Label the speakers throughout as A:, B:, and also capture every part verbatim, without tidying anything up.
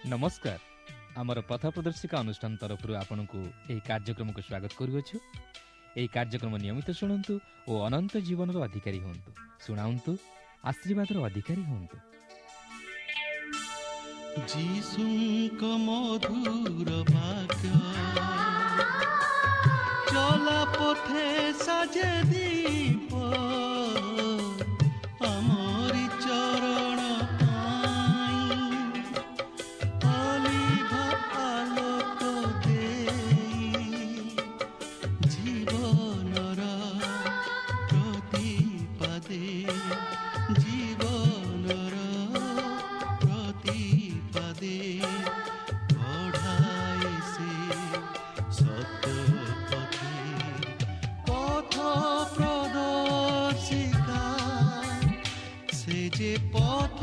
A: ନମସ୍କାର। ଆମର ପଥ ପ୍ରଦର୍ଶିକା ଅନୁଷ୍ଠାନ ତରଫରୁ ଆପଣଙ୍କୁ ଏହି କାର୍ଯ୍ୟକ୍ରମକୁ ସ୍ୱାଗତ କରୁଅଛୁ। ଏହି କାର୍ଯ୍ୟକ୍ରମ ନିୟମିତ ଶୁଣନ୍ତୁ ଓ ଅନନ୍ତ ଜୀବନର ଅଧିକାରୀ ହୁଅନ୍ତୁ। ଶୁଣାନ୍ତୁ, ଆଶୀର୍ବାଦର ଅଧିକାରୀ ହୁଅନ୍ତୁ।
B: ଯୀଶୁଙ୍କ ମଧୁର ବାକ୍ୟ ଚଲା ପଥେ ସାଜେ ଦୀପ, ଆମରି ଚରଣ ପାଇଁ ଅଲିଭା ଆଲୋକ ଦେଇ, ଜୀବନର ପ୍ରତିପାଦେ, ଜୀବନର ପ୍ରତିପାଦେ ବଢ଼ାଏ ସେ ସତ୍ୟ ପଥେ। ପଥ ପ୍ରଦର୍ଶିକା, ସେ ଯେ ପଥ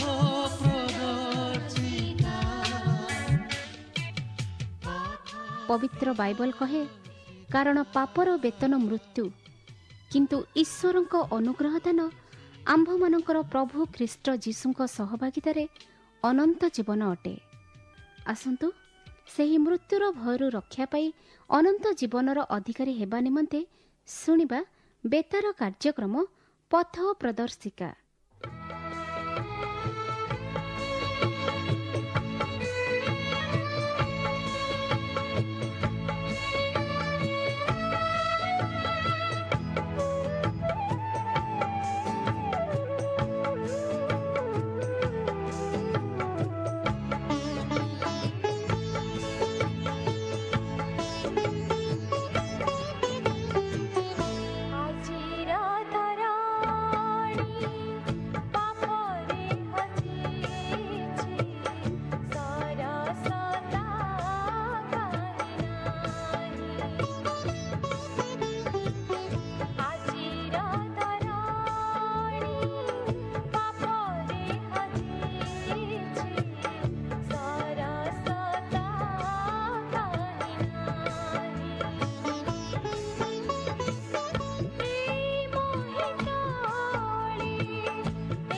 B: ପ୍ରଦର୍ଶିକା।
C: ପବିତ୍ର ବାଇବଲ କହେ, କାରଣ ପାପର ବେତନ ମୃତ୍ୟୁ, କିନ୍ତୁ ଈଶ୍ୱରଙ୍କ ଅନୁଗ୍ରହ ଦାନ ଆମ୍ଭମାନଙ୍କର ପ୍ରଭୁ ଖ୍ରୀଷ୍ଟ ଯୀଶୁଙ୍କ ସହଭାଗିତାରେ ଅନନ୍ତ ଜୀବନ ଅଟେ। ଆସନ୍ତୁ ସେହି ମୃତ୍ୟୁର ଭୟରୁ ରକ୍ଷା ପାଇ ଅନନ୍ତ ଜୀବନର ଅଧିକାରୀ ହେବା ନିମନ୍ତେ ଶୁଣିବା ବେତାର କାର୍ଯ୍ୟକ୍ରମ ପଥ ପ୍ରଦର୍ଶିକା।
D: ଆଜିର ଧରଣୀ ପାପରେ ହଜିଛି, ସରସତା କାହିଁ ନାହିଁ। ଆଜିର ଧରଣୀ ପାପରେ ହଜିଛି, ସରସତା କାହିଁ ନାହିଁ। ଏ ମହିତଳେ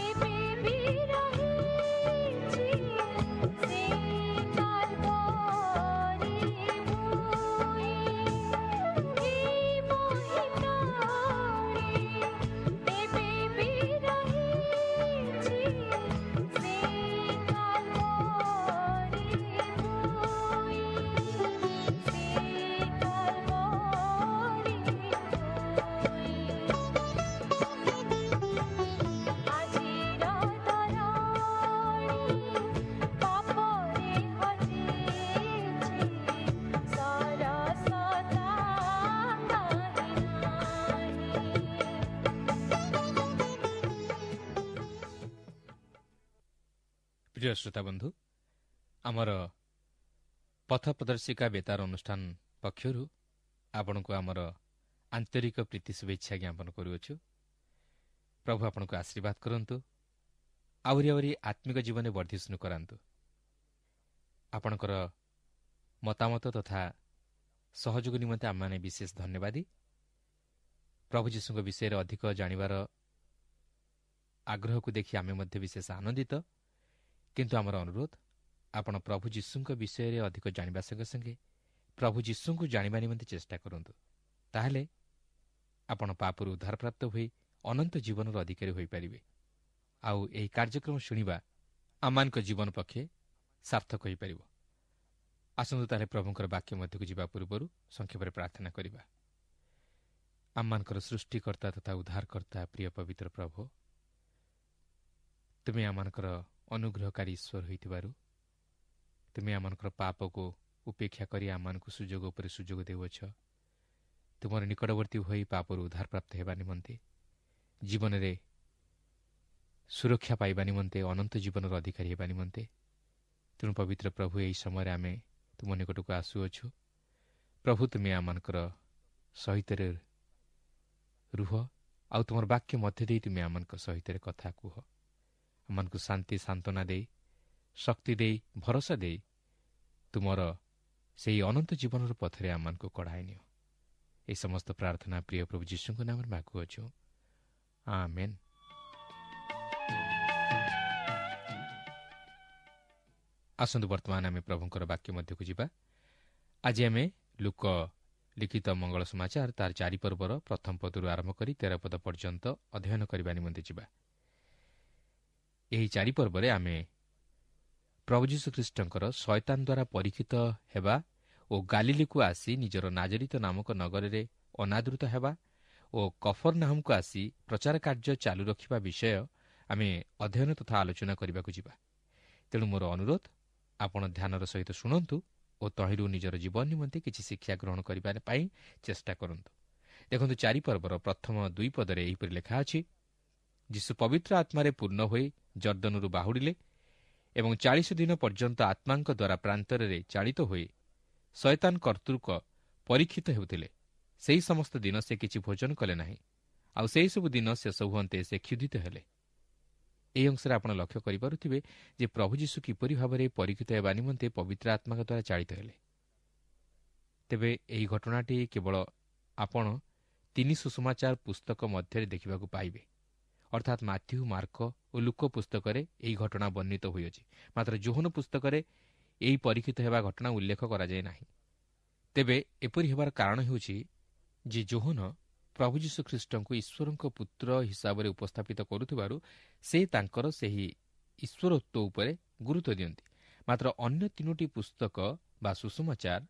D: ଏବେ ବି ରହିଛି ସେ କାଲବରୀ ଭୂଇଁ। ଏ ମହିତଳେ ଏବେ ବି ରହିଛି ସେ କାଲବରୀ ଭୂଇଁ, ସେ କାଲବରୀ ଭୂଇଁ। ଆଜିର ଧରଣୀ ପାପରେ ହଜିଛି, ସରସତା କାହିଁ ନାହିଁ।
A: ପ୍ରିୟ ଶ୍ରୋତା ବନ୍ଧୁ, ଆମର ପଥ ପ୍ରଦର୍ଶିକା ବେତାର ଅନୁଷ୍ଠାନ ପକ୍ଷରୁ ଆପଣଙ୍କୁ ଆମର ଆନ୍ତରିକ ପ୍ରୀତି ଶୁଭେଚ୍ଛା ଜ୍ଞାପନ କରୁଅଛୁ। ପ୍ରଭୁ ଆପଣଙ୍କୁ ଆଶୀର୍ବାଦ କରନ୍ତୁ, ଆହୁରି ଆହୁରି ଆତ୍ମିକ ଜୀବନରେ ବର୍ଦ୍ଧିଷ୍ଣୁ କରାନ୍ତୁ। ଆପଣଙ୍କର ମତାମତ ତଥା ସହଯୋଗ ନିମନ୍ତେ ଆମେମାନେ ବିଶେଷ ଧନ୍ୟବାଦୀ। ପ୍ରଭୁ ଯୀଶୁଙ୍କ ବିଷୟରେ ଅଧିକ ଜାଣିବାର ଆଗ୍ରହକୁ ଦେଖି ଆମେ ମଧ୍ୟ ବିଶେଷ ଆନନ୍ଦିତ। କିନ୍ତୁ ଆମର ଅନୁରୋଧ, ଆପଣ ପ୍ରଭୁ ଯୀଶୁଙ୍କ ବିଷୟରେ ଅଧିକ ଜାଣିବା ସଙ୍ଗେ ସଙ୍ଗେ ପ୍ରଭୁ ଯୀଶୁଙ୍କୁ ଜାଣିବା ନିମନ୍ତେ ଚେଷ୍ଟା କରନ୍ତୁ। ତାହେଲେ ଆପଣ ପାପରୁ ଉଦ୍ଧାରପ୍ରାପ୍ତ ହୋଇ ଅନନ୍ତ ଜୀବନର ଅଧିକାରୀ ହୋଇପାରିବେ। ଆଉ ଏହି କାର୍ଯ୍ୟକ୍ରମ ଶୁଣିବା ଆମମାନଙ୍କ ଜୀବନ ପକ୍ଷେ ସାର୍ଥକ ହୋଇପାରିବ। ଆସନ୍ତୁ ତାହେଲେ ପ୍ରଭୁଙ୍କର ବାକ୍ୟ ମଧ୍ୟକୁ ଯିବା ପୂର୍ବରୁ ସଂକ୍ଷେପରେ ପ୍ରାର୍ଥନା କରିବା। ଆମମାନଙ୍କର ସୃଷ୍ଟିକର୍ତ୍ତା ତଥା ଉଦ୍ଧାରକର୍ତ୍ତା ପ୍ରିୟ ପବିତ୍ର ପ୍ରଭୁ, ତୁମେ ଆମମାନଙ୍କର ଅନୁଗ୍ରହକାରୀ ଈଶ୍ୱର ହୋଇଥିବାରୁ ତୁମେ ଆମମାନଙ୍କର ପାପକୁ ଉପେକ୍ଷା କରି ଆମମାନଙ୍କୁ ସୁଯୋଗ ଉପରେ ସୁଯୋଗ ଦେଉଅଛ। ତୁମର ନିକଟବର୍ତ୍ତୀ ହୋଇ ପାପରୁ ଉଦ୍ଧାରପ୍ରାପ୍ତ ହେବା ନିମନ୍ତେ, ଜୀବନରେ ସୁରକ୍ଷା ପାଇବା ନିମନ୍ତେ, ଅନନ୍ତ ଜୀବନର ଅଧିକାରୀ ହେବା ନିମନ୍ତେ, ତେଣୁ ପବିତ୍ର ପ୍ରଭୁ, ଏହି ସମୟରେ ଆମେ ତୁମ ନିକଟକୁ ଆସୁଅଛୁ। ପ୍ରଭୁ, ତୁମେ ଆମମାନଙ୍କର ସହିତରେ ରୁହ ଆଉ ତୁମର ବାକ୍ୟ ମଧ୍ୟ ଦେଇ ତୁମେ ଆମମାନଙ୍କ ସହିତରେ କଥା କୁହ। ଆମମାନଙ୍କୁ ଶାନ୍ତି ସାନ୍ତ୍ୱନା ଦେଇ, ଶକ୍ତି ଦେଇ, ଭରସା ଦେଇ ତୁମର ସେହି ଅନନ୍ତ ଜୀବନର ପଥରେ ଆମମାନଙ୍କୁ କଢ଼ାଇ ନିଅ। ଏହି ସମସ୍ତ ପ୍ରାର୍ଥନା ପ୍ରିୟ ପ୍ରଭୁ ଯୀଶୁଙ୍କ ନାମରେ ମାଗୁଅଛୁ, ଆମେନ୍। ଆସନ୍ତୁ ବର୍ତ୍ତମାନ ଆମେ ପ୍ରଭୁଙ୍କର ବାକ୍ୟ ମଧ୍ୟକୁ ଯିବା। ଆଜି ଆମେ ଲୂକ ଲିଖିତ ମଙ୍ଗଳ ସମାଚାର ତାର ଚାରି ପର୍ବର ପ୍ରଥମ ପଦରୁ ଆରମ୍ଭ କରି ତେର ପଦ ପର୍ଯ୍ୟନ୍ତ ଅଧ୍ୟୟନ କରିବା ନିମନ୍ତେ ଯିବା। ଏହି ଚାରି ପର୍ବରେ ଆମେ ପ୍ରଭୁ ଯୀଶୁଖ୍ରୀଷ୍ଟଙ୍କର ଶୟତାନ ଦ୍ୱାରା ପରୀକ୍ଷିତ ହେବା ଓ ଗାଲିଲିକୁ ଆସି ନିଜର ନାଜରିତ ନାମକ ନଗରରେ ଅନାଦୃତ ହେବା ଓ କଫରନାହମକୁ ଆସି ପ୍ରଚାର କାର୍ଯ୍ୟ ଚାଲୁ ରଖିବା ବିଷୟ ଆମେ ଅଧ୍ୟୟନ ତଥା ଆଲୋଚନା କରିବାକୁ ଯିବା। ତେଣୁ ମୋର ଅନୁରୋଧ, ଆପଣ ଧ୍ୟାନର ସହିତ ଶୁଣନ୍ତୁ ଓ ତହିଁରୁ ନିଜର ଜୀବନ ନିମନ୍ତେ କିଛି ଶିକ୍ଷା ଗ୍ରହଣ କରିବା ପାଇଁ ଚେଷ୍ଟା କରନ୍ତୁ। ଦେଖନ୍ତୁ, ଚାରି ପର୍ବର ପ୍ରଥମ ଦୁଇ ପଦରେ ଏହିପରି ଲେଖା ଅଛି, ଯୀଶୁ ପବିତ୍ର ଆତ୍ମାରେ ପୂର୍ଣ୍ଣ ହୋଇ ଯର୍ଦ୍ଦନରୁ ବାହୁଡ଼ିଲେ ଏବଂ ଚାଳିଶ ଦିନ ପର୍ଯ୍ୟନ୍ତ ଆତ୍ମାଙ୍କ ଦ୍ୱାରା ପ୍ରାନ୍ତରରେ ଚାଳିତ ହୋଇ ଶୟତାନ କର୍ତ୍ତୃକ ପରୀକ୍ଷିତ ହେଉଥିଲେ। ସେହି ସମସ୍ତ ଦିନ ସେ କିଛି ଭୋଜନ କଲେ ନାହିଁ, ଆଉ ସେହିସବୁ ଦିନ ଶେଷ ହୁଅନ୍ତେ ସେ କ୍ଷୁଧିତ ହେଲେ। ଏହି ଅଂଶରେ ଆପଣ ଲକ୍ଷ୍ୟ କରିପାରୁଥିବେ ଯେ ପ୍ରଭୁ ଯୀଶୁ କିପରି ଭାବରେ ପରୀକ୍ଷିତ ହେବା ନିମନ୍ତେ ପବିତ୍ର ଆତ୍ମାଙ୍କ ଦ୍ୱାରା ଚାଳିତ ହେଲେ। ତେବେ ଏହି ଘଟଣାଟି କେବଳ ଆପଣ ତିନି ସୁସମାଚାର ପୁସ୍ତକ ମଧ୍ୟରେ ଦେଖିବାକୁ ପାଇବେ, ଅର୍ଥାତ୍ ମାଥ୍ୟୁ, ମାର୍କ ଓ ଲୂକ ପୁସ୍ତକରେ ଏହି ଘଟଣା ବର୍ଣ୍ଣିତ ହୋଇଅଛି। ମାତ୍ର ଯୋହନ ପୁସ୍ତକରେ ଏହି ପରୀକ୍ଷିତ ହେବା ଘଟଣା ଉଲ୍ଲେଖ କରାଯାଏ ନାହିଁ। ତେବେ ଏପରି ହେବାର କାରଣ ହେଉଛି ଯେ ଯୋହନ ପ୍ରଭୁ ଯୀଶୁଖ୍ରୀଷ୍ଟଙ୍କୁ ଈଶ୍ୱରଙ୍କ ପୁତ୍ର ହିସାବରେ ଉପସ୍ଥାପିତ କରୁଥିବାରୁ ସେ ତାଙ୍କର ସେହି ଈଶ୍ୱରତ୍ୱ ଉପରେ ଗୁରୁତ୍ୱ ଦିଅନ୍ତି। ମାତ୍ର ଅନ୍ୟ ତିନୋଟି ପୁସ୍ତକ ବା ସୁସମାଚାର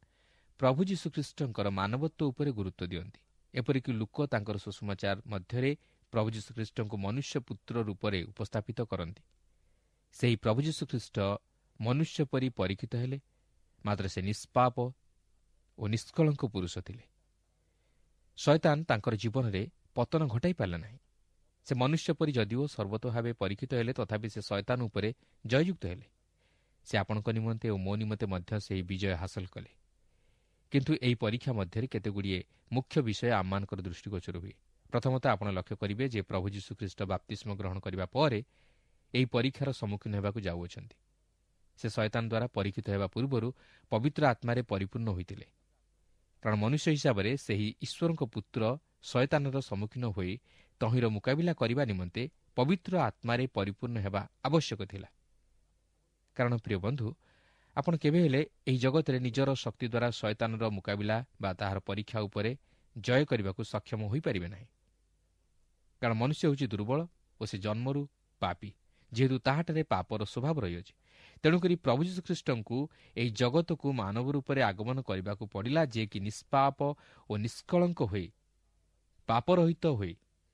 A: ପ୍ରଭୁ ଯୀଶୁଖ୍ରୀଷ୍ଟଙ୍କର ମାନବତ୍ୱ ଉପରେ ଗୁରୁତ୍ୱ ଦିଅନ୍ତି। ଏପରିକି ଲୂକ ତାଙ୍କର ସୁସମାଚାର ମଧ୍ୟରେ ପ୍ରଭୁ ଯୀଶୁଖ୍ରୀଷ୍ଟଙ୍କୁ ମନୁଷ୍ୟ ପୁତ୍ର ରୂପରେ ଉପସ୍ଥାପିତ କରନ୍ତି। ସେହି ପ୍ରଭୁ ଯୀଶୁଖ୍ରୀଷ୍ଟ ମନୁଷ୍ୟ ପରି ପରୀକ୍ଷିତ ହେଲେ, ମାତ୍ର ସେ ନିଷ୍ପାପ ଓ ନିଷ୍କଳଙ୍କ ପୁରୁଷ ଥିଲେ। ଶୟତାନ ତାଙ୍କର ଜୀବନରେ ପତନ ଘଟାଇ ପାରିଲା ନାହିଁ। ସେ ମନୁଷ୍ୟ ପରି ଯଦିଓ ସର୍ବତ ଭାବେ ପରୀକ୍ଷିତ ହେଲେ, ତଥାପି ସେ ଶୟତାନ ଉପରେ ଜୟଯୁକ୍ତ ହେଲେ। ସେ ଆପଣଙ୍କ ନିମନ୍ତେ ଓ ମୋ ନିମନ୍ତେ ମଧ୍ୟ ସେହି ବିଜୟ ହାସଲ କଲେ। କିନ୍ତୁ ଏହି ପରୀକ୍ଷା ମଧ୍ୟରେ କେତେଗୁଡ଼ିଏ ମୁଖ୍ୟ ବିଷୟ ଆମମାନଙ୍କର ଦୃଷ୍ଟିଗୋଚର ହୁଏ। ପ୍ରଥମତଃ ଆପଣ ଲକ୍ଷ୍ୟ କରିବେ ଯେ ପ୍ରଭୁ ଯୀଶୁଖ୍ରୀଷ୍ଟ ବାପ୍ତିସ୍ମ ଗ୍ରହଣ କରିବା ପରେ ଏହି ପରୀକ୍ଷାର ସମ୍ମୁଖୀନ ହେବାକୁ ଯାଉଅଛନ୍ତି। ସେ ଶୟତାନ ଦ୍ୱାରା ପରୀକ୍ଷିତ ହେବା ପୂର୍ବରୁ ପବିତ୍ର ଆତ୍ମାରେ ପରିପୂର୍ଣ୍ଣ ହୋଇଥିଲେ। କାରଣ ମନୁଷ୍ୟ ହିସାବରେ ସେହି ଈଶ୍ୱରଙ୍କ ପୁତ୍ର ଶୟତାନର ସମ୍ମୁଖୀନ ହୋଇ ତହିଁର ମୁକାବିଲା କରିବା ନିମନ୍ତେ ପବିତ୍ର ଆତ୍ମାରେ ପରିପୂର୍ଣ୍ଣ ହେବା ଆବଶ୍ୟକ ଥିଲା। କାରଣ ପ୍ରିୟ ବନ୍ଧୁ, ଆପଣ କେବେ ହେଲେ ଏହି ଜଗତରେ ନିଜର ଶକ୍ତି ଦ୍ୱାରା ଶୟତାନର ମୁକାବିଲା ବା ତାହାର ପରୀକ୍ଷା ଉପରେ ଜୟ କରିବାକୁ ସକ୍ଷମ ହୋଇପାରିବେ ନାହିଁ। କାରଣ ମନୁଷ୍ୟ ହେଉଛି ଦୁର୍ବଳ ଓ ସେ ଜନ୍ମରୁ ପାପୀ, ଯେହେତୁ ତାହାଠାରେ ପାପର ସ୍ୱଭାବ ରହିଅଛି। ତେଣୁକରି ପ୍ରଭୁ ଯୀଶୁଖ୍ରୀଷ୍ଟଙ୍କୁ ଏହି ଜଗତକୁ ମାନବ ରୂପରେ ଆଗମନ କରିବାକୁ ପଡ଼ିଲା, ଯିଏକି ନିଷ୍ପାପ ଓ ନିଷ୍କଳଙ୍କ ହୋଇ ପାପରହିତ ହୋଇ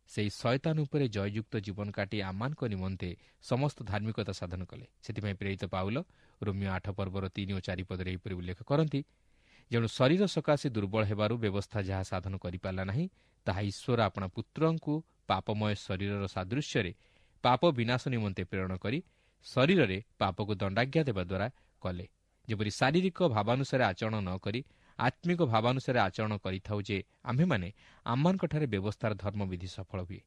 A: ସେହି ଶୟତାନ ଉପରେ ଜୟଯୁକ୍ତ ଜୀବନ କାଟି ଆମମାନଙ୍କ ନିମନ୍ତେ ସମସ୍ତ ଧାର୍ମିକତା ସାଧନ କଲେ। ସେଥିପାଇଁ ପ୍ରେରିତ ପାଉଲ ରୋମୀୟ ଆଠ ପର୍ବର ତିନି ଓ ଚାରି ପଦରେ ଏହିପରି ଉଲ୍ଲେଖ କରନ୍ତି, ଯେଣୁ ଶରୀର ସକାଶେ ଦୁର୍ବଳ ହେବାରୁ ବ୍ୟବସ୍ଥା ଯାହା ସାଧନ କରିପାରିଲା ନାହିଁ, ତାହା ଈଶ୍ୱର ଆପଣା ପୁତ୍ରଙ୍କୁ ପାପମୟ ଶରୀରର ସାଦୃଶ୍ୟରେ ପାପ ବିନାଶ ନିମନ୍ତେ ପ୍ରେରଣ କରି ଶରୀରରେ ପାପକୁ ଦଣ୍ଡାଜ୍ଞା ଦେବା ଦ୍ୱାରା କଲେ, ଯେପରି ଶାରୀରିକ ଭାବାନୁସାରେ ଆଚରଣ ନ କରି ଆତ୍ମିକ ଭାବାନୁସାରେ ଆଚରଣ କରିଥାଉ ଯେ ଆମ୍ଭେମାନେ ଆମମାନଙ୍କଠାରେ ବ୍ୟବସ୍ଥାର ଧର୍ମବିଧି ସଫଳ ହୁଏ।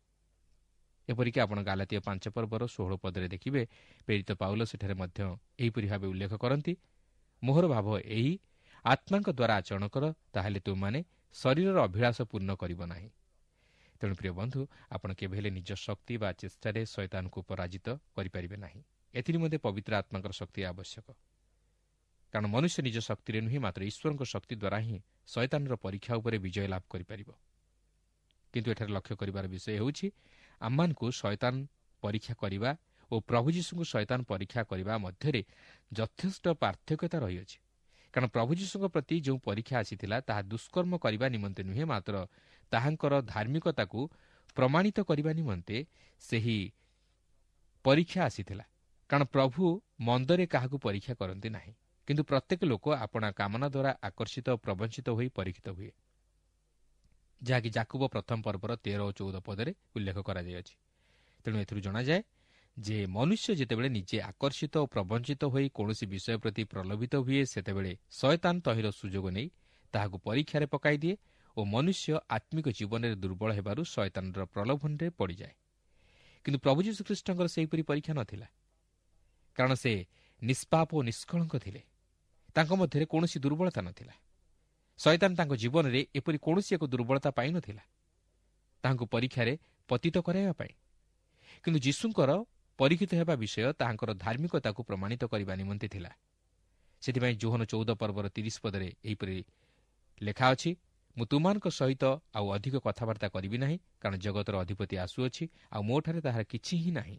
A: ଏପରିକି ଆପଣ ଗାଲାତୀୟ ପାଞ୍ଚ ପର୍ବର ଷୋହଳ ପଦରେ ଦେଖିବେ, ପ୍ରେରିତ ପାଉଲ ସେଠାରେ ମଧ୍ୟ ଏହିପରି ଭାବେ ଉଲ୍ଲେଖ କରନ୍ତି, ମୋହର ଭାବ ଏହି, ଆତ୍ମାଙ୍କ ଦ୍ୱାରା ଆଚରଣ କର, ତାହେଲେ ତୁମମାନେ ଶରୀରର ଅଭିଳାଷ ପୂର୍ଣ୍ଣ କରିବ ନାହିଁ। ତେଣୁ ପ୍ରିୟ ବନ୍ଧୁ, ଆପଣ କେବେ ହେଲେ ନିଜ ଶକ୍ତି ବା ଚେଷ୍ଟାରେ ଶୟତାନକୁ ପରାଜିତ କରିପାରିବେ ନାହିଁ। ଏଥିନିମନ୍ତେ ପବିତ୍ର ଆତ୍ମାଙ୍କର ଶକ୍ତି ଆବଶ୍ୟକ। କାରଣ ମନୁଷ୍ୟ ନିଜ ଶକ୍ତିରେ ନୁହେଁ, ମାତ୍ର ଈଶ୍ୱରଙ୍କ ଶକ୍ତି ଦ୍ୱାରା ହିଁ ଶୟତାନର ପରୀକ୍ଷା ଉପରେ ବିଜୟ ଲାଭ କରିପାରିବ। କିନ୍ତୁ ଏଠାରେ ଲକ୍ଷ୍ୟ କରିବାର ବିଷୟ ହେଉଛି, ଆମମାନଙ୍କୁ ଶୟତାନ ପରୀକ୍ଷା କରିବା ଓ ପ୍ରଭୁ ଯୀଶୁଙ୍କୁ ଶୟତାନ ପରୀକ୍ଷା କରିବା ମଧ୍ୟରେ ଯଥେଷ୍ଟ ପାର୍ଥକ୍ୟତା ରହିଅଛି। କାରଣ ପ୍ରଭୁ ଯୀଶୁଙ୍କ ପ୍ରତି ଯେଉଁ ପରୀକ୍ଷା ଆସିଥିଲା, ତାହା ଦୁଷ୍କର୍ମ କରିବା ନିମନ୍ତେ ନୁହେଁ, ମାତ୍ର ତାହାଙ୍କର ଧାର୍ମିକତାକୁ ପ୍ରମାଣିତ କରିବା ନିମନ୍ତେ ସେହି ପରୀକ୍ଷା ଆସିଥିଲା। କାରଣ ପ୍ରଭୁ ମନ୍ଦରେ କାହାକୁ ପରୀକ୍ଷା କରନ୍ତି ନାହିଁ, କିନ୍ତୁ ପ୍ରତ୍ୟେକ ଲୋକ ଆପଣା କାମନା ଦ୍ୱାରା ଆକର୍ଷିତ ଓ ପ୍ରବଞ୍ଚିତ ହୋଇ ପରୀକ୍ଷିତ ହୁଏ, ଯାହାକି ଯାକୁବ ପ୍ରଥମ ପର୍ବର ତେର ଓ ଚଉଦ ପଦରେ ଉଲ୍ଲେଖ କରାଯାଇଅଛି। ତେଣୁ ଏଥିରୁ ଜଣାଯାଏ ଯେ ମନୁଷ୍ୟ ଯେତେବେଳେ ନିଜେ ଆକର୍ଷିତ ଓ ପ୍ରବଞ୍ଚିତ ହୋଇ କୌଣସି ବିଷୟ ପ୍ରତି ପ୍ରଲୋଭିତ ହୁଏ, ସେତେବେଳେ ଶୟତାନ ତହିଁର ସୁଯୋଗ ନେଇ ତାହାକୁ ପରୀକ୍ଷାରେ ପକାଇ ଦିଏ ଓ ମନୁଷ୍ୟ ଆତ୍ମିକ ଜୀବନରେ ଦୁର୍ବଳ ହେବାରୁ ଶୟତାନର ପ୍ରଲୋଭନରେ ପଡ଼ିଯାଏ। କିନ୍ତୁ ପ୍ରଭୁ ଯୀଶୁଖ୍ରୀଷ୍ଟଙ୍କର ସେହିପରି ପରୀକ୍ଷା ନଥିଲା, କାରଣ ସେ ନିଷ୍ପାପ ଓ ନିଷ୍କଳଙ୍କ ଥିଲେ। ତାଙ୍କ ମଧ୍ୟରେ କୌଣସି ଦୁର୍ବଳତା ନଥିଲା। ଶୟତାନ ତାଙ୍କ ଜୀବନରେ ଏପରି କୌଣସି ଏକ ଦୁର୍ବଳତା ପାଇନଥିଲା ତାହାଙ୍କୁ ପରୀକ୍ଷାରେ ପତିତ କରାଇବା ପାଇଁ। କିନ୍ତୁ ଯୀଶୁଙ୍କର ପରୀକ୍ଷିତ ହେବା ବିଷୟ ତାହାଙ୍କର ଧାର୍ମିକତାକୁ ପ୍ରମାଣିତ କରିବା ନିମନ୍ତେ ଥିଲା। ସେଥିପାଇଁ ଯୋହନ ଚଉଦ ପର୍ବର ତିରିଶ ପଦରେ ଏହିପରି ଲେଖା ଅଛି, ମୁଁ ତୁମମାନଙ୍କ ସହିତ ଆଉ ଅଧିକ କଥାବାର୍ତ୍ତା କରିବି ନାହିଁ, କାରଣ ଜଗତର ଅଧିପତି ଆସୁଅଛି, ଆଉ ମୋଠାରେ ତାହାର କିଛି ହିଁ ନାହିଁ।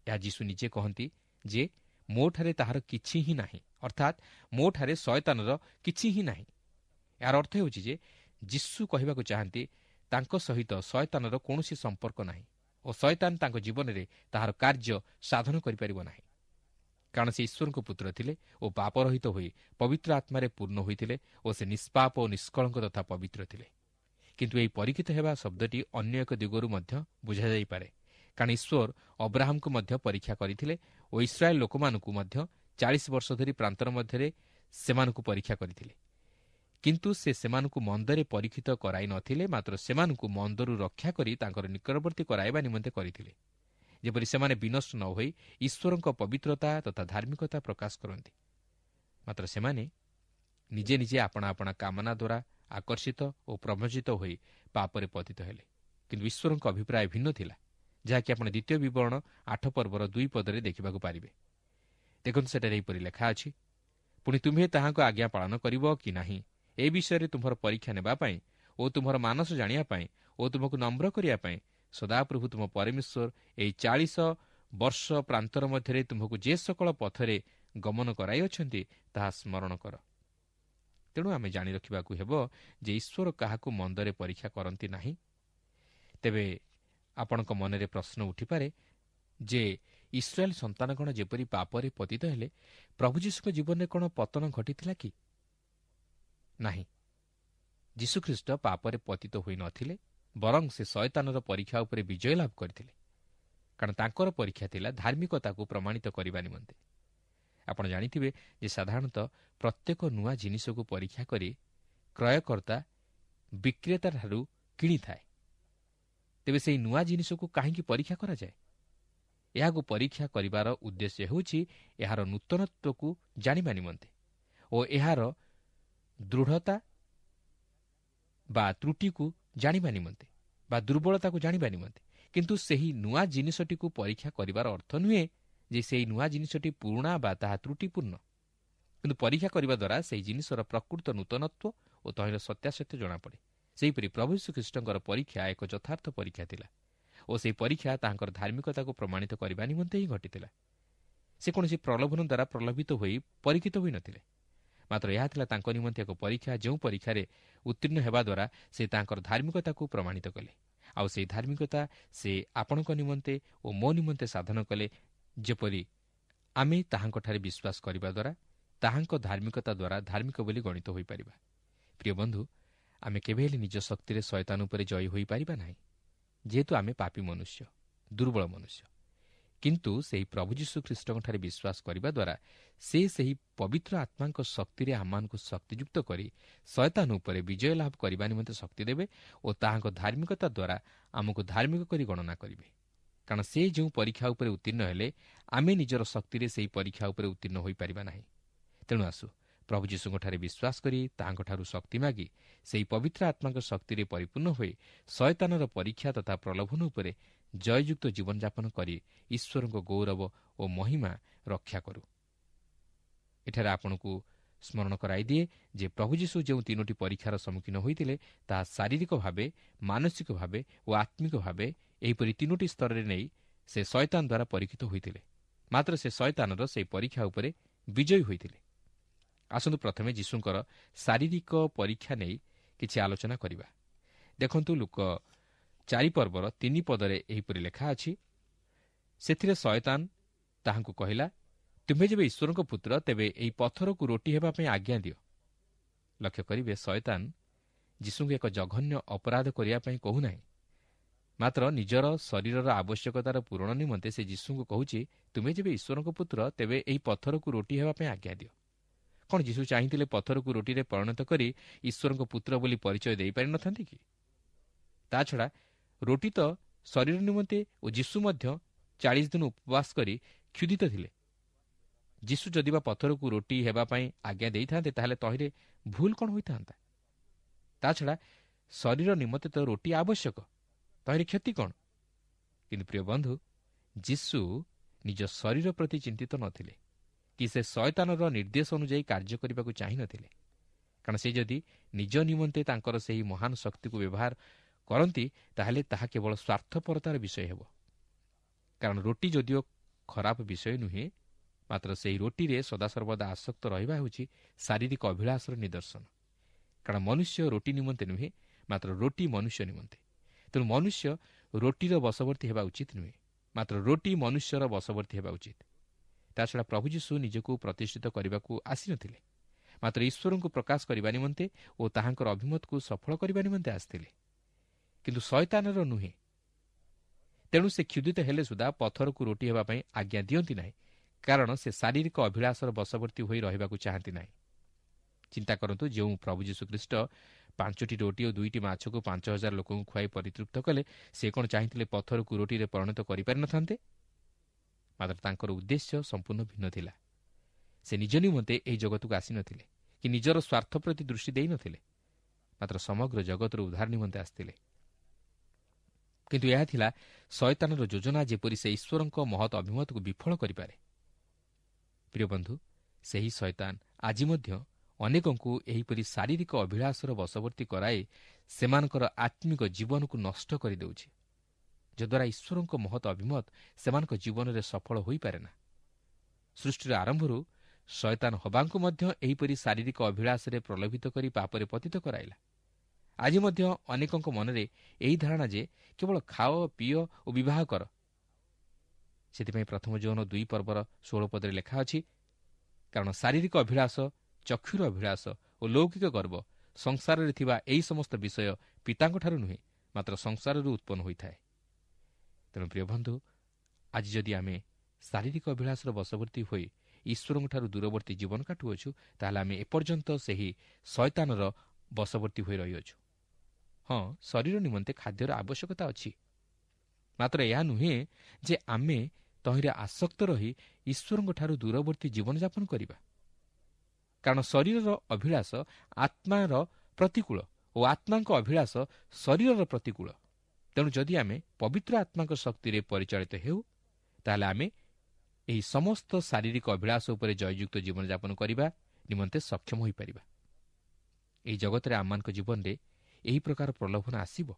A: ଏହା ଯୀଶୁ ନିଜେ କହନ୍ତି ଯେ ମୋଠାରେ ତାହାର କିଛି ହିଁ ନାହିଁ, ଅର୍ଥାତ୍ ମୋଠାରେ ଶୟତାନର କିଛି ହିଁ ନାହିଁ। ଏହାର ଅର୍ଥ ହେଉଛି ଯେ ଯୀଶୁ କହିବାକୁ ଚାହାନ୍ତି ତାଙ୍କ ସହିତ ଶୟତାନର କୌଣସି ସମ୍ପର୍କ ନାହିଁ ଓ ଶୟତାନ ତାଙ୍କ ଜୀବନରେ ତାହାର କାର୍ଯ୍ୟ ସାଧନ କରିପାରିବ ନାହିଁ, କାରଣ ସେ ଈଶ୍ୱରଙ୍କ ପୁତ୍ର ଥିଲେ ଓ ପାପରହିତ ହୋଇ ପବିତ୍ର ଆତ୍ମାରେ ପୂର୍ଣ୍ଣ ହୋଇଥିଲେ ଓ ସେ ନିଷ୍ପାପ ଓ ନିଷ୍କଳଙ୍କ ତଥା ପବିତ୍ର ଥିଲେ। କିନ୍ତୁ ଏହି ପରୀକ୍ଷିତ ହେବା ଶବ୍ଦଟି ଅନ୍ୟ ଏକ ଦିଗରୁ ମଧ୍ୟ ବୁଝାଯାଇପାରେ, କାରଣ ଈଶ୍ୱର ଅବ୍ରାହମଙ୍କୁ ମଧ୍ୟ ପରୀକ୍ଷା କରିଥିଲେ ଓ ଇସ୍ରାଏଲ୍ ଲୋକମାନଙ୍କୁ ମଧ୍ୟ ଚାଳିଶ ବର୍ଷ ଧରି ପ୍ରାନ୍ତର ମଧ୍ୟରେ ସେମାନଙ୍କୁ ପରୀକ୍ଷା କରିଥିଲେ। କିନ୍ତୁ ସେ ସେମାନଙ୍କୁ ମନ୍ଦରେ ପରୀକ୍ଷିତ କରାଇ ନଥିଲେ, ମାତ୍ର ସେମାନଙ୍କୁ ମନ୍ଦରୁ ରକ୍ଷା କରି ତାଙ୍କର ନିକଟବର୍ତ୍ତୀ କରାଇବା ନିମନ୍ତେ କରିଥିଲେ, ଯେପରି ସେମାନେ ବିନଷ୍ଟ ନ ହୋଇ ଈଶ୍ୱରଙ୍କ ପବିତ୍ରତା ତଥା ଧାର୍ମିକତା ପ୍ରକାଶ କରନ୍ତି। ମାତ୍ର ସେମାନେ ନିଜେ ନିଜେ ଆପଣା ଆପଣା କାମନା ଦ୍ୱାରା ଆକର୍ଷିତ ଓ ପ୍ରବଞ୍ଚିତ ହୋଇ ପାପରେ ପତିତ ହେଲେ। କିନ୍ତୁ ଈଶ୍ୱରଙ୍କ ଅଭିପ୍ରାୟ ଭିନ୍ନ ଥିଲା, ଯାହାକି ଆପଣ ଦ୍ୱିତୀୟ ବିବରଣ ଆଠ ପର୍ବର ଦୁଇ ପଦରେ ଦେଖିବାକୁ ପାରିବେ। ଦେଖନ୍ତୁ, ସେଠାରେ ଏହିପରି ଲେଖା ଅଛି, ପୁଣି ତୁମ୍ଭେ ତାହାଙ୍କ ଆଜ୍ଞା ପାଳନ କରିବ କି ନାହିଁ ଏ ବିଷୟରେ ତୁମ୍ଭର ପରୀକ୍ଷା ନେବା ପାଇଁ ଓ ତୁମ୍ଭର ମାନସ ଜାଣିବା ପାଇଁ ଓ ତୁମକୁ ନମ୍ର କରିବା ପାଇଁ ସଦାପ୍ରଭୁ ତୁମ ପରମେଶ୍ୱର ଏହି ଚାଳିଶ ବର୍ଷ ପ୍ରାନ୍ତର ମଧ୍ୟରେ ତୁମ୍ଭକୁ ଯେ ସକଳ ପଥରେ ଗମନ କରାଇଅଛନ୍ତି ତାହା ସ୍ମରଣ କର। ତେଣୁ ଆମେ ଜାଣି ରଖିବାକୁ ହେବ ଯେ ଈଶ୍ୱର କାହାକୁ ମନ୍ଦରେ ପରୀକ୍ଷା କରନ୍ତି ନାହିଁ। ତେବେ ଆପଣଙ୍କ ମନରେ ପ୍ରଶ୍ନ ଉଠିପାରେ ଯେ ଇସ୍ରାଏଲ୍ ସନ୍ତାନଗଣ ଯେପରି ପାପରେ ପତିତ ହେଲେ, ପ୍ରଭୁ ଯୀଶୁଙ୍କ ଜୀବନରେ କ'ଣ ପତନ ଘଟିଥିଲା କି? ନାହିଁ। ଯୀଶୁଖ୍ରୀଷ୍ଟ ପାପରେ ପତିତ ହୋଇନଥିଲେ, ବରଂ ସେ ଶୟତାନର ପରୀକ୍ଷା ଉପରେ ବିଜୟ ଲାଭ କରିଥିଲେ, କାରଣ ତାଙ୍କର ପରୀକ୍ଷା ଥିଲା ଧାର୍ମିକତାକୁ ପ୍ରମାଣିତ କରିବା ନିମନ୍ତେ। ଆପଣ ଜାଣିଥିବେ ଯେ ସାଧାରଣତଃ ପ୍ରତ୍ୟେକ ନୂଆ ଜିନିଷକୁ ପରୀକ୍ଷା କରି କ୍ରୟକର୍ତ୍ତା ବିକ୍ରେତାଠାରୁ କିଣିଥାଏ। ତେବେ ସେହି ନୂଆ ଜିନିଷକୁ କାହିଁକି ପରୀକ୍ଷା କରାଯାଏ? ଏହାକୁ ପରୀକ୍ଷା କରିବାର ଉଦ୍ଦେଶ୍ୟ ହେଉଛି ଏହାର ନୂତନତ୍ୱକୁ ଜାଣିବା ନିମନ୍ତେ ଓ ଏହାର ଦୃଢ଼ତା ବା ତ୍ରୁଟିକୁ ଜାଣିବା ନିମନ୍ତେ ବା ଦୁର୍ବଳତାକୁ ଜାଣିବା ନିମନ୍ତେ। କିନ୍ତୁ ସେହି ନୂଆ ଜିନିଷଟିକୁ ପରୀକ୍ଷା କରିବାର ଅର୍ଥ ନୁହେଁ ଯେ ସେହି ନୂଆ ଜିନିଷଟି ପୁରୁଣା ବା ତାହା ତ୍ରୁଟିପୂର୍ଣ୍ଣ, କିନ୍ତୁ ପରୀକ୍ଷା କରିବା ଦ୍ୱାରା ସେହି ଜିନିଷର ପ୍ରକୃତ ନୂତନତ୍ୱ ଓ ତହିଁର ସତ୍ୟାସତ୍ୟ ଜଣାପଡ଼େ। ସେହିପରି ପ୍ରଭୁ ଯୀଶୁଖ୍ରୀଷ୍ଟଙ୍କର ପରୀକ୍ଷା ଏକ ଯଥାର୍ଥ ପରୀକ୍ଷା ଥିଲା ଓ ସେହି ପରୀକ୍ଷା ତାହାଙ୍କର ଧାର୍ମିକତାକୁ ପ୍ରମାଣିତ କରିବା ନିମନ୍ତେ ହିଁ ଘଟିଥିଲା। ସେ କୌଣସି ପ୍ରଲୋଭନ ଦ୍ୱାରା ପ୍ରଲୋଭିତ ହୋଇ ପରୀକ୍ଷିତ ହୋଇନଥିଲେ, ମାତ୍ର ଏହା ଥିଲା ତାଙ୍କ ନିମନ୍ତେ ଏକ ପରୀକ୍ଷା, ଯେଉଁ ପରୀକ୍ଷାରେ ଉତ୍ତୀର୍ଣ୍ଣ ହେବା ଦ୍ୱାରା ସେ ତାଙ୍କର ଧାର୍ମିକତାକୁ ପ୍ରମାଣିତ କଲେ। ଆଉ ସେହି ଧାର୍ମିକତା ସେ ଆପଣଙ୍କ ନିମନ୍ତେ ଓ ମୋ ନିମନ୍ତେ ସାଧନ କଲେ, ଯେପରି ଆମେ ତାହାଙ୍କଠାରେ ବିଶ୍ୱାସ କରିବା ଦ୍ୱାରା ତାହାଙ୍କ ଧାର୍ମିକତା ଦ୍ୱାରା ଧାର୍ମିକ ବୋଲି ଗଣିତ ହୋଇପାରିବା। ପ୍ରିୟ ବନ୍ଧୁ, ଆମେ କେବେ ହେଲେ ନିଜ ଶକ୍ତିରେ ଶୟତାନ ଉପରେ ଜୟୀ ହୋଇପାରିବା ନାହିଁ, ଯେହେତୁ ଆମେ ପାପୀ ମନୁଷ୍ୟ, ଦୁର୍ବଳ ମନୁଷ୍ୟ। କିନ୍ତୁ ସେହି ପ୍ରଭୁ ଯୀଶୁ ଖ୍ରୀଷ୍ଟଙ୍କଠାରେ ବିଶ୍ୱାସ କରିବା ଦ୍ୱାରା ସେ ସେହି ପବିତ୍ର ଆତ୍ମାଙ୍କ ଶକ୍ତିରେ ଆମମାନଙ୍କୁ ଶକ୍ତିଯୁକ୍ତ କରି ଶୟତାନ ଉପରେ ବିଜୟ ଲାଭ କରିବା ନିମନ୍ତେ ଶକ୍ତି ଦେବେ ଓ ତାହାଙ୍କ ଧାର୍ମିକତା ଦ୍ୱାରା ଆମକୁ ଧାର୍ମିକ କରି ଗଣନା କରିବେ। କାରଣ ସେ ଯେଉଁ ପରୀକ୍ଷା ଉପରେ ଉତ୍ତୀର୍ଣ୍ଣ ହେଲେ, ଆମେ ନିଜର ଶକ୍ତିରେ ସେହି ପରୀକ୍ଷା ଉପରେ ଉତ୍ତୀର୍ଣ୍ଣ ହୋଇପାରିବା ନାହିଁ। ତେଣୁ ଆସୁ ପ୍ରଭୁ ଯୀଶୁଙ୍କଠାରେ ବିଶ୍ୱାସ କରି ତାହାଙ୍କଠାରୁ ଶକ୍ତି ମାଗି ସେହି ପବିତ୍ର ଆତ୍ମାଙ୍କ ଶକ୍ତିରେ ପରିପୂର୍ଣ୍ଣ ହୋଇ ଶୟତାନର ପରୀକ୍ଷା ତଥା ପ୍ରଲୋଭନ ଉପରେ ଜୟଯୁକ୍ତ ଜୀବନଯାପନ କରି ଈଶ୍ୱରଙ୍କ ଗୌରବ ଓ ମହିମା ରକ୍ଷା କରୁ। ଏଠାରେ ଆପଣଙ୍କୁ ସ୍ମରଣ କରାଇଦିଏ ଯେ ପ୍ରଭୁ ଯୀଶୁ ଯେଉଁ ତିନୋଟି ପରୀକ୍ଷାର ସମ୍ମୁଖୀନ ହୋଇଥିଲେ ତାହା ଶାରୀରିକ ଭାବେ, ମାନସିକ ଭାବେ ଓ ଆତ୍ମିକ ଭାବେ ଏହିପରି ତିନୋଟି ସ୍ତରରେ ନେଇ ସେ ଶୟତାନ ଦ୍ୱାରା ପରୀକ୍ଷିତ ହୋଇଥିଲେ। ମାତ୍ର ସେ ଶୟତାନର ସେହି ପରୀକ୍ଷା ଉପରେ ବିଜୟୀ ହୋଇଥିଲେ। ଆସନ୍ତୁ ପ୍ରଥମେ ଯୀଶୁଙ୍କର ଶାରୀରିକ ପରୀକ୍ଷା ନେଇ କିଛି ଆଲୋଚନା କରିବା। ଦେଖନ୍ତୁ, ଲୂକ ଚାରି ପର୍ବର ତିନି ପଦରେ ଏହିପରି ଲେଖା ଅଛି, ସେଥିରେ ଶୟତାନ ତାହାଙ୍କୁ କହିଲା, ତୁମ୍ଭେ ଯେବେ ଈଶ୍ୱରଙ୍କ ପୁତ୍ର, ତେବେ ଏହି ପଥରକୁ ରୋଟି ହେବା ପାଇଁ ଆଜ୍ଞା ଦିଅ। ଲକ୍ଷ୍ୟ କରିବେ, ଶୟତାନ ଯୀଶୁଙ୍କୁ ଏକ ଜଘନ୍ୟ ଅପରାଧ କରିବା ପାଇଁ କହୁନାହିଁ, ମାତ୍ର ନିଜର ଶରୀରର ଆବଶ୍ୟକତାର ପୂରଣ ନିମନ୍ତେ ସେ ଯୀଶୁଙ୍କୁ କହୁଛି, ତୁମେ ଯେବେ ଈଶ୍ୱରଙ୍କ ପୁତ୍ର, ତେବେ ଏହି ପଥରକୁ ରୋଟି ହେବା ପାଇଁ ଆଜ୍ଞା ଦିଅ। କ'ଣ ଯୀଶୁ ଚାହିଁଥିଲେ ପଥରକୁ ରୋଟିରେ ପରିଣତ କରି ଈଶ୍ୱରଙ୍କ ପୁତ୍ର ବୋଲି ପରିଚୟ ଦେଇପାରିନଥାନ୍ତି କି? ତା ଛଡ଼ା ରୋଟି ତ ଶରୀର ନିମନ୍ତେ ଓ ଯୀଶୁ ମଧ୍ୟ ଚାଳିଶ ଦିନ ଉପବାସ କରି କ୍ଷୁଧିତ ଥିଲେ। ଯୀଶୁ ଯଦି ବା ପଥରକୁ ରୋଟି ହେବା ପାଇଁ ଆଜ୍ଞା ଦେଇଥାନ୍ତେ, ତାହେଲେ ତହିଁରେ ଭୁଲ କ'ଣ ହୋଇଥାନ୍ତା? ତା ଛଡ଼ା ଶରୀର ନିମନ୍ତେ ତ ରୋଟି ଆବଶ୍ୟକ, ତହିଁରେ କ୍ଷତି କ'ଣ? କିନ୍ତୁ ପ୍ରିୟ ବନ୍ଧୁ, ଯୀଶୁ ନିଜ ଶରୀର ପ୍ରତି ଚିନ୍ତିତ ନଥିଲେ, କି ସେ ଶୟତାନର ନିର୍ଦ୍ଦେଶ ଅନୁଯାୟୀ କାର୍ଯ୍ୟ କରିବାକୁ ଚାହିଁନଥିଲେ। କାରଣ ସେ ଯଦି ନିଜ ନିମନ୍ତେ ତାଙ୍କର ସେହି ମହାନ ଶକ୍ତିକୁ ବ୍ୟବହାର କରନ୍ତି, ତାହେଲେ ତାହା କେବଳ ସ୍ୱାର୍ଥପରତାର ବିଷୟ ହେବ। କାରଣ ରୋଟି ଯଦିଓ ଖରାପ ବିଷୟ ନୁହେଁ, ମାତ୍ର ସେହି ରୋଟିରେ ସଦାସର୍ବଦା ଆସକ୍ତ ରହିବା ହେଉଛି ଶାରୀରିକ ଅଭିଳାଷର ନିଦର୍ଶନ। କାରଣ ମନୁଷ୍ୟ ରୋଟି ନିମନ୍ତେ ନୁହେଁ, ମାତ୍ର ରୋଟି ମନୁଷ୍ୟ ନିମନ୍ତେ। ତେଣୁ ମନୁଷ୍ୟ ରୋଟିର ବଶବର୍ତ୍ତୀ ହେବା ଉଚିତ ନୁହେଁ, ମାତ୍ର ରୋଟି ମନୁଷ୍ୟର ବଶବର୍ତ୍ତୀ ହେବା ଉଚିତ। ତାଛଡ଼ା ପ୍ରଭୁ ଯୀଶୁ ନିଜକୁ ପ୍ରତିଷ୍ଠିତ କରିବାକୁ ଆସିନଥିଲେ, ମାତ୍ର ଈଶ୍ୱରଙ୍କୁ ପ୍ରକାଶ କରିବା ନିମନ୍ତେ ଓ ତାହାଙ୍କର ଅଭିମତକୁ ସଫଳ କରିବା ନିମନ୍ତେ ଆସିଥିଲେ, କିନ୍ତୁ ଶୟତାନର ନୁହେଁ। ତେଣୁ ସେ କ୍ଷୁଧିତ ହେଲେ ସୁଦ୍ଧା ପଥରକୁ ରୋଟି ହେବା ପାଇଁ ଆଜ୍ଞା ଦିଅନ୍ତି ନାହିଁ, କାରଣ ସେ ଶାରୀରିକ ଅଭିଳାଷର ବଶବର୍ତ୍ତୀ ହୋଇ ରହିବାକୁ ଚାହାନ୍ତି ନାହିଁ। ଚିନ୍ତା କରନ୍ତୁ, ଯେଉଁ ପ୍ରଭୁ ଯୀଶୁଖ୍ରୀଷ୍ଟ ପାଞ୍ଚଟି ରୋଟି ଓ ଦୁଇଟି ମାଛକୁ ପାଞ୍ଚ ହଜାର ଲୋକଙ୍କୁ ଖୁଆଇ ପରିତୃପ୍ତ କଲେ, ସେ କ'ଣ ଚାହିଁଥିଲେ ପଥରକୁ ରୋଟିରେ ପରିଣତ କରିପାରିନଥାନ୍ତେ? ମାତ୍ର ତାଙ୍କର ଉଦ୍ଦେଶ୍ୟ ସମ୍ପୂର୍ଣ୍ଣ ଭିନ୍ନ ଥିଲା। ସେ ନିଜ ନିମନ୍ତେ ଏହି ଜଗତକୁ ଆସିନଥିଲେ କି ନିଜର ସ୍ୱାର୍ଥ ପ୍ରତି ଦୃଷ୍ଟି ଦେଇନଥିଲେ, ମାତ୍ର ସମଗ୍ର ଜଗତର ଉଦ୍ଧାର ନିମନ୍ତେ ଆସିଥିଲେ। କିନ୍ତୁ ଏହା ଥିଲା ଶୟତାନର ଯୋଜନା, ଯେପରି ସେ ଈଶ୍ୱରଙ୍କ ମହତ୍ ଅଭିମତକୁ ବିଫଳ କରିପାରେ। ପ୍ରିୟ ବନ୍ଧୁ, ସେହି ଶୟତାନ ଆଜି ମଧ୍ୟ ଅନେକଙ୍କୁ ଏହିପରି ଶାରୀରିକ ଅଭିଳାଷର ବଶବର୍ତ୍ତୀ କରାଇ ସେମାନଙ୍କର ଆତ୍ମିକ ଜୀବନକୁ ନଷ୍ଟ କରିଦେଉଛି, ଯଦ୍ୱାରା ଈଶ୍ୱରଙ୍କ ମହତ୍ ଅଭିମତ ସେମାନଙ୍କ ଜୀବନରେ ସଫଳ ହୋଇପାରେ ନା। ସୃଷ୍ଟିର ଆରମ୍ଭରୁ ଶୟତାନ ହବାଙ୍କୁ ମଧ୍ୟ ଏହିପରି ଶାରୀରିକ ଅଭିଳାଷରେ ପ୍ରଲୋଭିତ କରି ପାପରେ ପତିତ କରାଇଲା। ଆଜି ମଧ୍ୟ ଅନେକଙ୍କ ମନରେ ଏହି ଧାରଣା ଯେ କେବଳ ଖାଅ, ପିଅ ଓ ବିବାହ କର। ସେଥିପାଇଁ ପ୍ରଥମ ଯୌନ ଦୁଇ ପର୍ବର ଷୋହଳ ପଦରେ ଲେଖା ଅଛି, କାରଣ ଶାରୀରିକ ଅଭିଳାଷ, ଚକ୍ଷୁର ଅଭିଳାଷ ଓ ଲୌକିକ ଗର୍ବ ସଂସାରରେ ଥିବା ଏହି ସମସ୍ତ ବିଷୟ ପିତାଙ୍କଠାରୁ ନୁହେଁ, ମାତ୍ର ସଂସାରରୁ ଉତ୍ପନ୍ନ ହୋଇଥାଏ। ତେଣୁ ପ୍ରିୟ ବନ୍ଧୁ, ଆଜି ଯଦି ଆମେ ଶାରୀରିକ ଅଭିଳାଷର ବଶବର୍ତ୍ତୀ ହୋଇ ଈଶ୍ୱରଙ୍କଠାରୁ ଦୂରବର୍ତ୍ତୀ ଜୀବନ କାଟୁଅଛୁ, ତାହେଲେ ଆମେ ଏପର୍ଯ୍ୟନ୍ତ ସେହି ଶୟତାନର ବଶବର୍ତ୍ତୀ ହୋଇ ରହିଅଛୁ। ହଁ, ଶରୀର ନିମନ୍ତେ ଖାଦ୍ୟର ଆବଶ୍ୟକତା ଅଛି, ମାତ୍ର ଏହା ନୁହେଁ ଯେ ଆମେ ତହିଁରେ ଆସକ୍ତ ରହି ଈଶ୍ୱରଙ୍କଠାରୁ ଦୂରବର୍ତ୍ତୀ ଜୀବନଯାପନ କରିବା। କାରଣ ଶରୀରର ଅଭିଳାଷ ଆତ୍ମାର ପ୍ରତିକୂଳ ଓ ଆତ୍ମାଙ୍କ ଅଭିଳାଷ ଶରୀରର ପ୍ରତିକୂଳ। ତେଣୁ ଯଦି ଆମେ ପବିତ୍ର ଆତ୍ମାଙ୍କ ଶକ୍ତିରେ ପରିଚାଳିତ ହେଉ, ତାହେଲେ ଆମେ ଏହି ସମସ୍ତ ଶାରୀରିକ ଅଭିଳାଷ ଉପରେ ଜୟଯୁକ୍ତ ଜୀବନଯାପନ କରିବା ନିମନ୍ତେ ସକ୍ଷମ ହୋଇପାରିବା। ଏହି ଜଗତରେ ଆମମାନଙ୍କ ଜୀବନରେ ଏହି ପ୍ରକାର ପ୍ରଲୋଭନ ଆସିବ,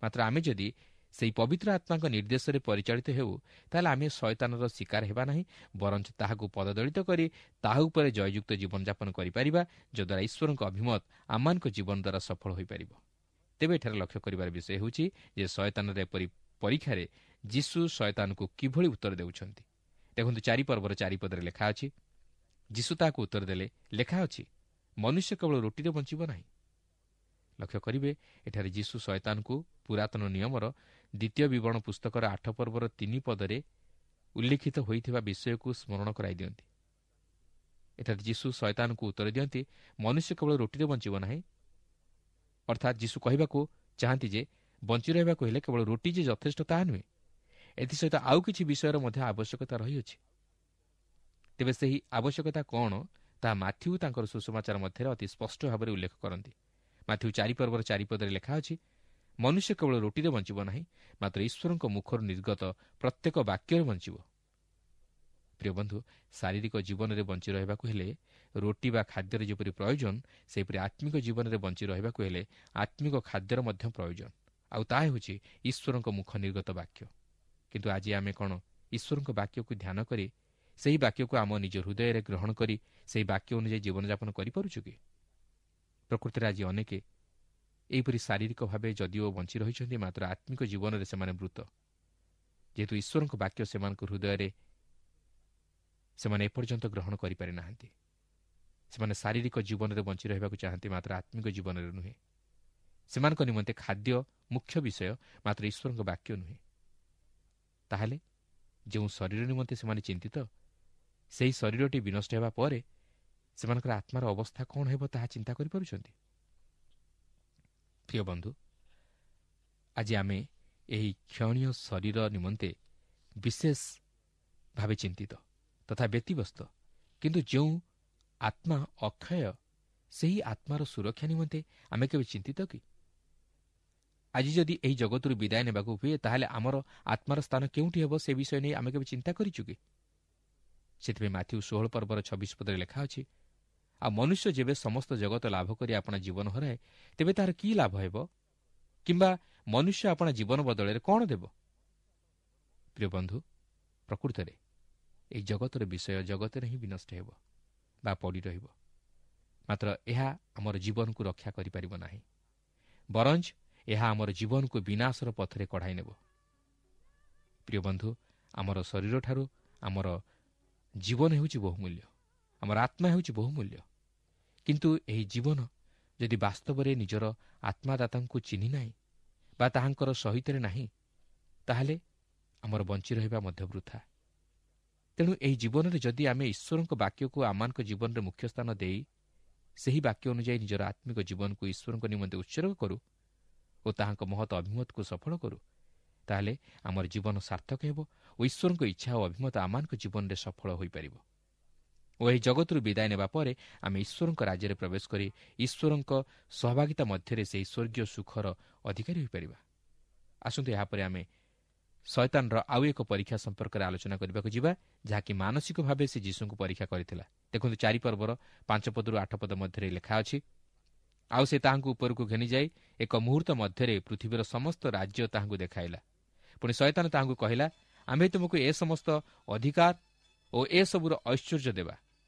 A: ମାତ୍ର ଆମେ ଯଦି ସେହି ପବିତ୍ର ଆତ୍ମାଙ୍କ ନିର୍ଦ୍ଦେଶରେ ପରିଚାଳିତ ହେଉ, ତାହେଲେ ଆମେ ଶୟତାନର ଶିକାର ହେବା ନାହିଁ, ବରଞ୍ଚ ତାହାକୁ ପଦଦଳିତ କରି ତାହା ଉପରେ ଜୟଯୁକ୍ତ ଜୀବନଯାପନ କରିପାରିବା, ଯଦ୍ୱାରା ଈଶ୍ୱରଙ୍କ ଅଭିମତ ଆମମାନଙ୍କ ଜୀବନ ଦ୍ୱାରା ସଫଳ ହୋଇପାରିବ। ତେବେ ଏଠାରେ ଲକ୍ଷ୍ୟ କରିବାର ବିଷୟ ହେଉଛି ଯେ ଶୟତାନର ଏପରି ପରୀକ୍ଷାରେ ଯୀଶୁ ଶୟତାନକୁ କିଭଳି ଉତ୍ତର ଦେଉଛନ୍ତି। ଦେଖନ୍ତୁ, ଚାରି ପର୍ବର ଚାରିପଦରେ ଲେଖା ଅଛି, ଯୀଶୁ ତାହାକୁ ଉତ୍ତର ଦେଲେ, ଲେଖା ଅଛି, ମନୁଷ୍ୟ କେବଳ ରୋଟିରେ ବଞ୍ଚିବ ନାହିଁ। ଲକ୍ଷ୍ୟ କରିବେ, ଏଠାରେ ଯୀଶୁ ଶୟତାନକୁ ପୁରାତନ ନିୟମର ଦ୍ୱିତୀୟ ବିବରଣ ପୁସ୍ତକର ଆଠ ପର୍ବର ତିନି ପଦରେ ଉଲ୍ଲେଖିତ ହୋଇଥିବା ବିଷୟକୁ ସ୍ମରଣ କରାଇ ଦିଅନ୍ତି। ଏଠାରେ ଯୀଶୁ ଶୟତାନକୁ ଉତ୍ତର ଦିଅନ୍ତି, ମନୁଷ୍ୟ କେବଳ ରୋଟିରେ ବଞ୍ଚିବ ନାହିଁ। ଅର୍ଥାତ୍ ଯୀଶୁ କହିବାକୁ ଚାହାନ୍ତି ଯେ ବଞ୍ଚି ରହିବାକୁ ହେଲେ କେବଳ ରୋଟି ଯେ ଯଥେଷ୍ଟ ତାହା ନୁହେଁ, ଏଥିସହିତ ଆଉ କିଛି ବିଷୟର ମଧ୍ୟ ଆବଶ୍ୟକତା ରହିଅଛି। ତେବେ ସେହି ଆବଶ୍ୟକତା କ'ଣ ତାହା ମାଥ୍ୟୁ ତାଙ୍କର ସୁସମାଚାର ମଧ୍ୟରେ ଅତି ସ୍ପଷ୍ଟ ଭାବରେ ଉଲ୍ଲେଖ କରନ୍ତି। ମାଥ୍ୟୁ ଚାରି ପର୍ବର ଚାରିପଦରେ ଲେଖା ଅଛି, ମନୁଷ୍ୟ କେବଳ ରୋଟିରେ ବଞ୍ଚିବ ନାହିଁ, ମାତ୍ର ଈଶ୍ୱରଙ୍କ ମୁଖରୁ ନିର୍ଗତ ପ୍ରତ୍ୟେକ ବାକ୍ୟରେ ବଞ୍ଚିବ। ପ୍ରିୟ ବନ୍ଧୁ, ଶାରୀରିକ ଜୀବନରେ ବଞ୍ଚି ରହିବାକୁ ହେଲେ ରୋଟି ବା ଖାଦ୍ୟର ଯେପରି ପ୍ରୟୋଜନ, ସେହିପରି ଆତ୍ମିକ ଜୀବନରେ ବଞ୍ଚି ରହିବାକୁ ହେଲେ ଆତ୍ମିକ ଖାଦ୍ୟର ମଧ୍ୟ ପ୍ରୟୋଜନ, ଆଉ ତାହା ହେଉଛି ଈଶ୍ୱରଙ୍କ ମୁଖ ନିର୍ଗତ ବାକ୍ୟ। କିନ୍ତୁ ଆଜି ଆମେ କ'ଣ ଈଶ୍ୱରଙ୍କ ବାକ୍ୟକୁ ଧ୍ୟାନ କରି ସେହି ବାକ୍ୟକୁ ଆମ ନିଜ ହୃଦୟରେ ଗ୍ରହଣ କରି ସେହି ବାକ୍ୟ ଅନୁଯାୟୀ ଜୀବନଯାପନ କରିପାରୁଛୁ କି? ପ୍ରକୃତରେ ଆଜି ଅନେକେ ଏହିପରି ଶାରୀରିକ ଭାବେ ଯଦିଓ ବଞ୍ଚି ରହିଛନ୍ତି, ମାତ୍ର ଆତ୍ମିକ ଜୀବନରେ ସେମାନେ ମୃତ। ଯେହେତୁ ଈଶ୍ୱରଙ୍କ ବାକ୍ୟ ସେମାନଙ୍କ ହୃଦୟରେ ସେମାନେ ଏପର୍ଯ୍ୟନ୍ତ ଗ୍ରହଣ କରିପାରି ନାହାନ୍ତି। ସେମାନେ ଶାରୀରିକ ଜୀବନରେ ବଞ୍ଚି ରହିବାକୁ ଚାହାନ୍ତି, ମାତ୍ର ଆତ୍ମିକ ଜୀବନରେ ନୁହେଁ। ସେମାନଙ୍କ ନିମନ୍ତେ ଖାଦ୍ୟ ମୁଖ୍ୟ ବିଷୟ, ମାତ୍ର ଈଶ୍ୱରଙ୍କ ବାକ୍ୟ ନୁହେଁ। ତାହେଲେ ଯେଉଁ ଶରୀର ନିମନ୍ତେ ସେମାନେ ଚିନ୍ତିତ, ସେହି ଶରୀରଟି ବିନଷ୍ଟ ହେବା ପରେ ସେମାନଙ୍କର ଆତ୍ମାର ଅବସ୍ଥା କ'ଣ ହେବ ତାହା ଚିନ୍ତା କରିପାରୁଛନ୍ତି? ପ୍ରିୟ ବନ୍ଧୁ, ଆଜି ଆମେ ଏହି କ୍ଷଣୀୟ ଶରୀର ନିମନ୍ତେ ବିଶେଷ ଭାବେ ଚିନ୍ତିତ ତଥା ବ୍ୟତିବ୍ୟସ୍ତ, କିନ୍ତୁ ଯେଉଁ ଆତ୍ମା ଅକ୍ଷୟ, ସେହି ଆତ୍ମାର ସୁରକ୍ଷା ନିମନ୍ତେ ଆମେ କେବେ ଚିନ୍ତିତ କି? ଆଜି ଯଦି ଏହି ଜଗତରୁ ବିଦାୟ ନେବାକୁ ହୁଏ, ତାହେଲେ ଆମର ଆତ୍ମାର ସ୍ଥାନ କେଉଁଠି ହେବ ସେ ବିଷୟ ନେଇ ଆମେ କେବେ ଚିନ୍ତା କରିଛୁ କି? ସେଥିପାଇଁ ମାଥ୍ୟୁ ଷୋହଳ ପର୍ବର ଛବିଶ ପଦରେ ଲେଖା ଅଛି, ଆଉ ମନୁଷ୍ୟ ଯେବେ ସମସ୍ତ ଜଗତ ଲାଭ କରି ଆପଣା ଜୀବନ ହରାଏ, ତେବେ ତାହାର କି ଲାଭ ହେବ? କିମ୍ବା ମନୁଷ୍ୟ ଆପଣା ଜୀବନ ବଦଳରେ କ'ଣ ଦେବ? ପ୍ରିୟ ବନ୍ଧୁ, ପ୍ରକୃତରେ ଏହି ଜଗତର ବିଷୟ ଜଗତରେ ହିଁ ବିନଷ୍ଟ ହେବ ବା ପଡ଼ି ରହିବ, ମାତ୍ର ଏହା ଆମର ଜୀବନକୁ ରକ୍ଷା କରିପାରିବ ନାହିଁ, ବରଞ୍ଚ ଏହା ଆମର ଜୀବନକୁ ବିନାଶର ପଥରେ କଢ଼ାଇ ନେବ। ପ୍ରିୟ ବନ୍ଧୁ, ଆମର ଶରୀରଠାରୁ ଆମର ଜୀବନ ହେଉଛି ବହୁମୂଲ୍ୟ, ଆମର ଆତ୍ମା ହେଉଛି ବହୁମୂଲ୍ୟ। କିନ୍ତୁ ଏହି ଜୀବନ ଯଦି ବାସ୍ତବରେ ନିଜର ଆତ୍ମାଦାତାଙ୍କୁ ଚିହ୍ନି ନାହିଁ ବା ତାହାଙ୍କର ସହିତରେ ନାହିଁ, ତାହେଲେ ଆମର ବଞ୍ଚି ରହିବା ମଧ୍ୟ ବୃଥା। ତେଣୁ ଏହି ଜୀବନରେ ଯଦି ଆମେ ଈଶ୍ୱରଙ୍କ ବାକ୍ୟକୁ ଆମମାନଙ୍କ ଜୀବନରେ ମୁଖ୍ୟ ସ୍ଥାନ ଦେଇ ସେହି ବାକ୍ୟ ଅନୁଯାୟୀ ନିଜର ଆତ୍ମିକ ଜୀବନକୁ ଈଶ୍ୱରଙ୍କ ନିମନ୍ତେ ଉତ୍ସର୍ଗ କରୁ ଓ ତାହାଙ୍କ ମହତ ଅଭିମତକୁ ସଫଳ କରୁ, ତାହେଲେ ଆମର ଜୀବନ ସାର୍ଥକ ହେବ ଓ ଈଶ୍ୱରଙ୍କ ଇଚ୍ଛା ଓ ଅଭିମତ ଆମମାନଙ୍କ ଜୀବନରେ ସଫଳ ହୋଇପାରିବ। ଓ ଏହି ଜଗତରୁ ବିଦାୟ ନେବା ପରେ ଆମେ ଈଶ୍ୱରଙ୍କ ରାଜ୍ୟରେ ପ୍ରବେଶ କରି ଈଶ୍ୱରଙ୍କ ସହଭାଗିତା ମଧ୍ୟରେ ସେହି ସ୍ୱର୍ଗୀୟ ସୁଖର ଅଧିକାରୀ ହୋଇପାରିବା। ଆସନ୍ତୁ ଏହାପରେ ଆମେ ଶୟତାନର ଆଉ ଏକ ପରୀକ୍ଷା ସମ୍ପର୍କରେ ଆଲୋଚନା କରିବାକୁ ଯିବା, ଯାହାକି ମାନସିକ ଭାବେ ସେ ଯୀଶୁଙ୍କୁ ପରୀକ୍ଷା କରିଥିଲା। ଦେଖନ୍ତୁ ଚାରି ପର୍ବର ପାଞ୍ଚ ପଦରୁ ଆଠ ପଦ ମଧ୍ୟରେ ଲେଖା ଅଛି, ଆଉ ସେ ତାହାଙ୍କୁ ଉପରକୁ ଘେନିଯାଇ ଏକ ମୁହୂର୍ତ୍ତ ମଧ୍ୟରେ ପୃଥିବୀର ସମସ୍ତ ରାଜ୍ୟ ତାହାଙ୍କୁ ଦେଖାଇଲା। ପୁଣି ଶୟତାନ ତାହାଙ୍କୁ କହିଲା, ଆମ୍ଭେ ତୁମକୁ ଏ ସମସ୍ତ ଅଧିକାର ଓ ଏସବୁର ଐଶ୍ୱର୍ଯ୍ୟ ଦେବା,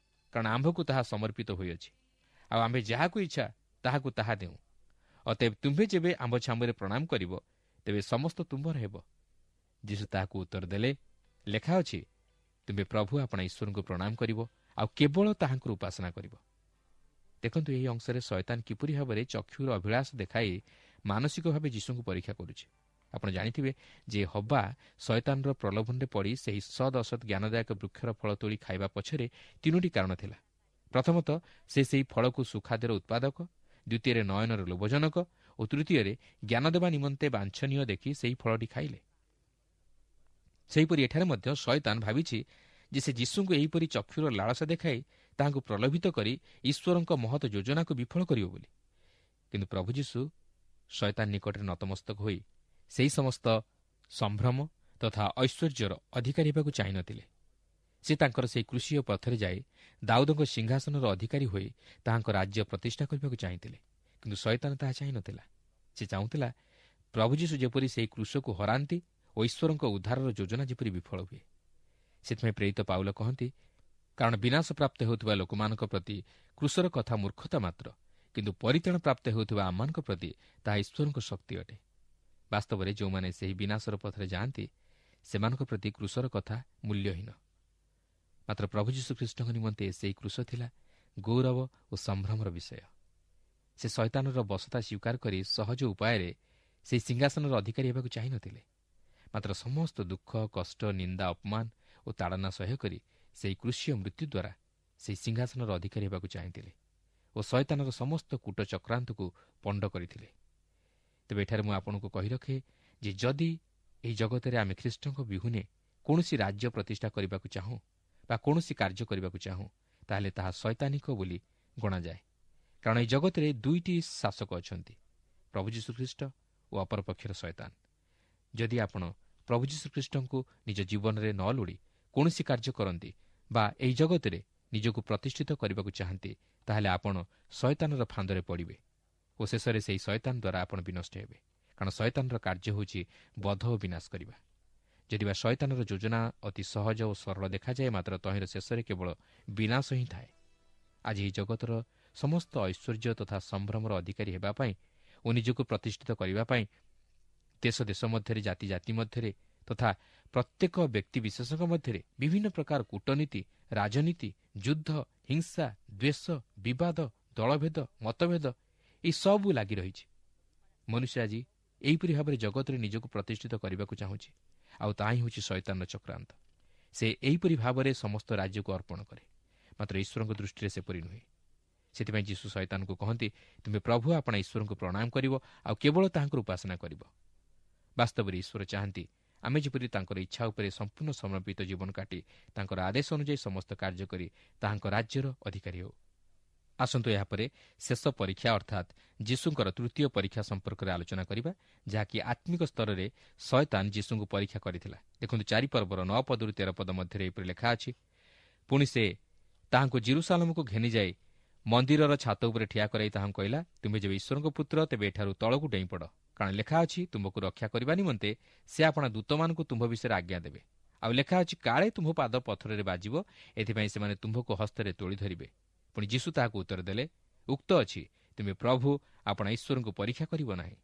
A: କାରଣ ଆମ୍ଭକୁ ତାହା ସମର୍ପିତ ହୋଇଅଛି, ଆଉ ଆମ୍ଭେ ଯାହାକୁ ଇଚ୍ଛା ତାହାକୁ ତାହା ଦେଉଁ। ଅତଏବ ତୁମ୍ଭେ ଯେବେ ଆମ୍ଭ ଛାମୁରେ ପ୍ରଣାମ କରିବ, ତେବେ ସମସ୍ତ ତୁମ୍ଭର ହେବ। ଯୀଶୁ ତାହାକୁ ଉତ୍ତର ଦେଲେ, ଲେଖା ଅଛି, ତୁମ୍ଭେ ପ୍ରଭୁ ଆପଣା ଈଶ୍ୱରଙ୍କୁ ପ୍ରଣାମ କରିବ, ଆଉ କେବଳ ତାହାଙ୍କର ଉପାସନା କରିବ। ଦେଖନ୍ତୁ ଏହି ଅଂଶରେ ଶୟତାନ କିପରି ଭାବରେ ଚକ୍ଷୁର ଅଭିଳାଷ ଦେଖାଇ ମାନସିକ ଭାବେ ଯୀଶୁଙ୍କୁ ପରୀକ୍ଷା କରୁଛି। ଆପଣ ଜାଣିଥିବେ ଯେ ହବା ଶୟତାନର ପ୍ରଲୋଭନରେ ପଡ଼ି ସେହି ସଦ୍ ଅସତ୍ ଜ୍ଞାନଦାୟକ ବୃକ୍ଷର ଫଳ ତୋଳି ଖାଇବା ପଛରେ ତିନୋଟି କାରଣ ଥିଲା। ପ୍ରଥମତଃ ସେ ସେହି ଫଳକୁ ସୁଖାଦ୍ୟର ଉତ୍ପାଦକ, ଦ୍ୱିତୀୟରେ ନୟନର ଲୋଭଜନକ ଓ ତୃତୀୟରେ ଜ୍ଞାନ ଦେବା ନିମନ୍ତେ ବାଞ୍ଛନୀୟ ଦେଖି ସେହି ଫଳଟି ଖାଇଲେ। ସେହିପରି ଏଠାରେ ମଧ୍ୟ ଶୟତାନ ଭାବିଛି ଯେ ସେ ଯୀଶୁଙ୍କୁ ଏହିପରି ଚକ୍ଷୁର ଲାଳସା ଦେଖାଇ ତାହାଙ୍କୁ ପ୍ରଲୋଭିତ କରି ଈଶ୍ୱରଙ୍କ ମହତ ଯୋଜନାକୁ ବିଫଳ କରିବ ବୋଲି। କିନ୍ତୁ ପ୍ରଭୁ ଯୀଶୁ ଶୟତାନ ନିକଟରେ ନତମସ୍ତକ ହୋଇ ସେହି ସମସ୍ତ ସମ୍ଭ୍ରମ ତଥା ଐଶ୍ୱର୍ଯ୍ୟର ଅଧିକାରୀ ହେବାକୁ ଚାହିଁନଥିଲେ। ସେ ତାଙ୍କର ସେହି କୃଷିୟ ପଥରେ ଯାଇ ଦାଉଦଙ୍କ ସିଂହାସନର ଅଧିକାରୀ ହୋଇ ତାହାଙ୍କ ରାଜ୍ୟ ପ୍ରତିଷ୍ଠା କରିବାକୁ ଚାହିଁଥିଲେ। କିନ୍ତୁ ଶୟତାନ ତାହା ଚାହିଁନଥିଲା। ସେ ଚାହୁଁଥିଲା ପ୍ରଭୁ ଯୀଶୁ ଯେପରି ସେହି କୃଷକୁ ହରାନ୍ତି ଓ ଈଶ୍ୱରଙ୍କ ଉଦ୍ଧାରର ଯୋଜନା ଯେପରି ବିଫଳ ହୁଏ। ସେଥିପାଇଁ ପ୍ରେରିତ ପାଉଲ କହନ୍ତି, କାରଣ ବିନାଶ ପ୍ରାପ୍ତ ହେଉଥିବା ଲୋକମାନଙ୍କ ପ୍ରତି କୃଷର କଥା ମୂର୍ଖତା ମାତ୍ର, କିନ୍ତୁ ପରିତ୍ରାଣ ପ୍ରାପ୍ତ ହେଉଥିବା ଆମମାନଙ୍କ ପ୍ରତି ତାହା ଈଶ୍ୱରଙ୍କ ଶକ୍ତି ଅଟେ। ବାସ୍ତବରେ ଯେଉଁମାନେ ସେହି ବିନାଶର ପଥରେ ଯାଆନ୍ତି, ସେମାନଙ୍କ ପ୍ରତି କୃଷର କଥା ମୂଲ୍ୟହୀନ। ମାତ୍ର ପ୍ରଭୁ ଯୀଶୁଖ୍ରୀଷ୍ଟଙ୍କ ନିମନ୍ତେ ସେହି କୃଷ ଥିଲା ଗୌରବ ଓ ସମ୍ଭ୍ରମର ବିଷୟ। ସେ ଶୟତାନର ବଶତା ସ୍ୱୀକାର କରି ସହଜ ଉପାୟରେ ସେହି ସିଂହାସନର ଅଧିକାରୀ ହେବାକୁ ଚାହିଁନଥିଲେ, ମାତ୍ର ସମସ୍ତ ଦୁଃଖ, କଷ୍ଟ, ନିନ୍ଦା, ଅପମାନ ଓ ତାଡ଼ନା ସହ୍ୟ କରି ସେହି କୃଷୀୟ ମୃତ୍ୟୁ ଦ୍ୱାରା ସେହି ସିଂହାସନର ଅଧିକାରୀ ହେବାକୁ ଚାହିଁଥିଲେ ଓ ଶୟତାନର ସମସ୍ତ କୂଟ ଚକ୍ରାନ୍ତକୁ ପଣ୍ଡ କରିଥିଲେ। ତେବେ ଏଠାରେ ମୁଁ ଆପଣଙ୍କୁ କହି ରଖେ ଯେ ଯଦି ଏହି ଜଗତରେ ଆମେ ଖ୍ରୀଷ୍ଟଙ୍କ ବିହୁନେ କୌଣସି ରାଜ୍ୟ ପ୍ରତିଷ୍ଠା କରିବାକୁ ଚାହୁଁ ବା କୌଣସି କାର୍ଯ୍ୟ କରିବାକୁ ଚାହୁଁ, ତାହେଲେ ତାହା ଶୟତାନିକ ବୋଲି ଗଣାଯାଏ। କାରଣ ଏହି ଜଗତରେ ଦୁଇଟି ଶାସକ ଅଛନ୍ତି, ପ୍ରଭୁ ଯୀଶୁଖ୍ରୀଷ୍ଟ ଓ ଅପରପକ୍ଷର ଶୟତାନ। ଯଦି ଆପଣ ପ୍ରଭୁ ଯୀଶୁଖ୍ରୀଷ୍ଟଙ୍କୁ ନିଜ ଜୀବନରେ ନ ଲୋଡ଼ି କୌଣସି କାର୍ଯ୍ୟ କରନ୍ତି ବା ଏହି ଜଗତରେ ନିଜକୁ ପ୍ରତିଷ୍ଠିତ କରିବାକୁ ଚାହାନ୍ତି, ତାହେଲେ ଆପଣ ଶୟତାନର ଫାନ୍ଦରେ ପଡ଼ିବେ ଓ ଶେଷରେ ସେହି ଶୟତାନ ଦ୍ୱାରା ଆପଣ ବିନଷ୍ଟ ହେବେ। କାରଣ ଶୟତାନର କାର୍ଯ୍ୟ ହେଉଛି ବଧ ଓ ବିନାଶ କରିବା। ଯଦି ବା ଶୟତାନର ଯୋଜନା ଅତି ସହଜ ଓ ସରଳ ଦେଖାଯାଏ, ମାତ୍ର ତହିଁର ଶେଷରେ କେବଳ ବିନାଶ ହିଁ ଥାଏ। ଆଜି ଏହି ଜଗତର ସମସ୍ତ ଐଶ୍ୱର୍ଯ୍ୟ ତଥା ସମ୍ଭ୍ରମର ଅଧିକାରୀ ହେବା ପାଇଁ ଓ ନିଜକୁ ପ୍ରତିଷ୍ଠିତ କରିବା ପାଇଁ ଦେଶ ଦେଶ ମଧ୍ୟରେ, ଜାତି ଜାତି ମଧ୍ୟରେ ତଥା ପ୍ରତ୍ୟେକ ବ୍ୟକ୍ତିବିଶେଷଙ୍କ ମଧ୍ୟରେ ବିଭିନ୍ନ ପ୍ରକାର କୂଟନୀତି, ରାଜନୀତି, ଯୁଦ୍ଧ, ହିଂସା, ଦ୍ୱେଷ, ବିବାଦ, ଦଳଭେଦ, ମତଭେଦ ଏସବୁ ଲାଗି ରହିଛି। ମନୁଷ୍ୟ ଆଜି ଏହିପରି ଭାବରେ ଜଗତରେ ନିଜକୁ ପ୍ରତିଷ୍ଠିତ କରିବାକୁ ଚାହୁଁଛି, ଆଉ ତାହା ହିଁ ହେଉଛି ଶୟତାନର ଚକ୍ରାନ୍ତ। ସେ ଏହିପରି ଭାବରେ ସମସ୍ତ ରାଜ୍ୟକୁ ଅର୍ପଣ କରେ, ମାତ୍ର ଈଶ୍ୱରଙ୍କ ଦୃଷ୍ଟିରେ ସେପରି ନୁହେଁ। ସେଥିପାଇଁ ଯୀଶୁ ଶୟତାନକୁ କହନ୍ତି, ତୁମେ ପ୍ରଭୁ ଆପଣା ଈଶ୍ୱରଙ୍କୁ ପ୍ରଣାମ କରିବ ଆଉ କେବଳ ତାହାଙ୍କର ଉପାସନା କରିବ। ବାସ୍ତବରେ ଈଶ୍ୱର ଚାହାନ୍ତି ଆମେ ଯେପରି ତାଙ୍କର ଇଚ୍ଛା ଉପରେ ସମ୍ପୂର୍ଣ୍ଣ ସମର୍ପିତ ଜୀବନ କାଟି ତାଙ୍କର ଆଦେଶ ଅନୁଯାୟୀ ସମସ୍ତ କାର୍ଯ୍ୟ କରି ତାହାଙ୍କ ରାଜ୍ୟର ଅଧିକାରୀ ହେଉ। ଆସନ୍ତୁ ଏହାପରେ ଶେଷ ପରୀକ୍ଷା ଅର୍ଥାତ୍ ଯୀଶୁଙ୍କର ତୃତୀୟ ପରୀକ୍ଷା ସମ୍ପର୍କରେ ଆଲୋଚନା କରିବା, ଯାହାକି ଆତ୍ମିକ ସ୍ତରରେ ଶୟତାନ ଯୀଶୁଙ୍କୁ ପରୀକ୍ଷା କରିଥିଲା। ଦେଖନ୍ତୁ ଚାରି ପର୍ବର ନଅ ପଦରୁ ତେର ପଦ ମଧ୍ୟରେ ଏପରି ଲେଖା ଅଛି, ପୁଣି ସେ ତାହାଙ୍କୁ ଜିରୁସାଲମକୁ ଘେନିଯାଇ ମନ୍ଦିରର ଛାତ ଉପରେ ଠିଆ କରାଇ ତାହାଙ୍କୁ କହିଲା, ତୁମେ ଯେବେ ଈଶ୍ୱରଙ୍କ ପୁତ୍ର ତେବେ ଏଠାରୁ ତଳକୁ ଡେଇଁ ପଡ଼, କାରଣ ଲେଖା ଅଛି ତୁମକୁ ରକ୍ଷା କରିବା ନିମନ୍ତେ ସେ ଆପଣା ଦୂତମାନଙ୍କୁ ତୁମ୍ଭ ବିଷୟରେ ଆଜ୍ଞା ଦେବେ। ଆଉ ଲେଖା ଅଛି କାଳେ ତୁମ୍ଭ ପାଦ ପଥରରେ ବାଜିବ, ଏଥିପାଇଁ ସେମାନେ ତୁମ୍ଭକୁ ହସ୍ତରେ ତୋଳି ଧରିବେ। ପୁଣି ଯୀଶୁ ତାହାକୁ ଉତ୍ତର ଦେଲେ, ଉକ୍ତ ଅଛି ତୁମେ ପ୍ରଭୁ ଆପଣା ଈଶ୍ୱରଙ୍କୁ ପରୀକ୍ଷା କରିବ ନାହିଁ।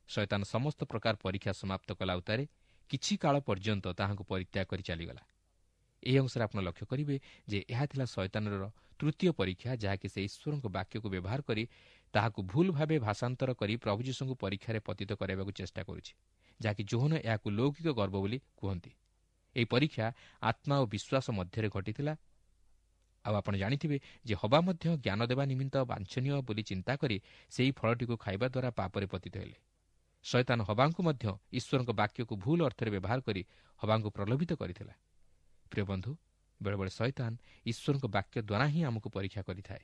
A: ଶୟତାନ ସମସ୍ତ ପ୍ରକାର ପରୀକ୍ଷା ସମାପ୍ତ କଲା ଉତ୍ତାରେ କିଛି କାଳ ପର୍ଯ୍ୟନ୍ତ ତାହାଙ୍କୁ ପରିତ୍ୟାଗ କରି ଚାଲିଗଲା। ଏହି ଅଂଶରେ ଆପଣ ଲକ୍ଷ୍ୟ କରିବେ ଯେ ଏହା ଥିଲା ଶୟତାନର ତୃତୀୟ ପରୀକ୍ଷା, ଯାହାକି ସେ ଈଶ୍ୱରଙ୍କ ବାକ୍ୟକୁ ବ୍ୟବହାର କରି ତାହାକୁ ଭୁଲ ଭାବେ ଭାଷାନ୍ତର କରି ପ୍ରଭୁ ଯୀଶୁଙ୍କୁ ପରୀକ୍ଷାରେ ପତିତ କରାଇବାକୁ ଚେଷ୍ଟା କରୁଛି, ଯାହାକି ଯୋହନ ଏହାକୁ ଲୌକିକ ଗର୍ବ ବୋଲି କୁହନ୍ତି। ଏହି ପରୀକ୍ଷା ଆତ୍ମା ଓ ବିଶ୍ୱାସ ମଧ୍ୟରେ ଘଟିଥିଲା। ଆଉ ଆପଣ ଜାଣିଥିବେ ଯେ ହବା ମଧ୍ୟ ଜ୍ଞାନ ଦେବା ନିମିତ୍ତ ବାଞ୍ଛନୀୟ ବୋଲି ଚିନ୍ତା କରି ସେହି ଫଳଟିକୁ ଖାଇବା ଦ୍ୱାରା ପାପରେ ପତିତ ହେଲେ। ଶୟତାନ ହବାଙ୍କୁ ମଧ୍ୟ ଈଶ୍ୱରଙ୍କ ବାକ୍ୟକୁ ଭୁଲ ଅର୍ଥରେ ବ୍ୟବହାର କରି ହବାଙ୍କୁ ପ୍ରଲୋଭିତ କରିଥିଲା। ପ୍ରିୟ ବନ୍ଧୁ, ବେଳେବେଳେ ଶୟତାନ ଈଶ୍ୱରଙ୍କ ବାକ୍ୟ ଦ୍ୱାରା ହିଁ ଆମକୁ ପରୀକ୍ଷା କରିଥାଏ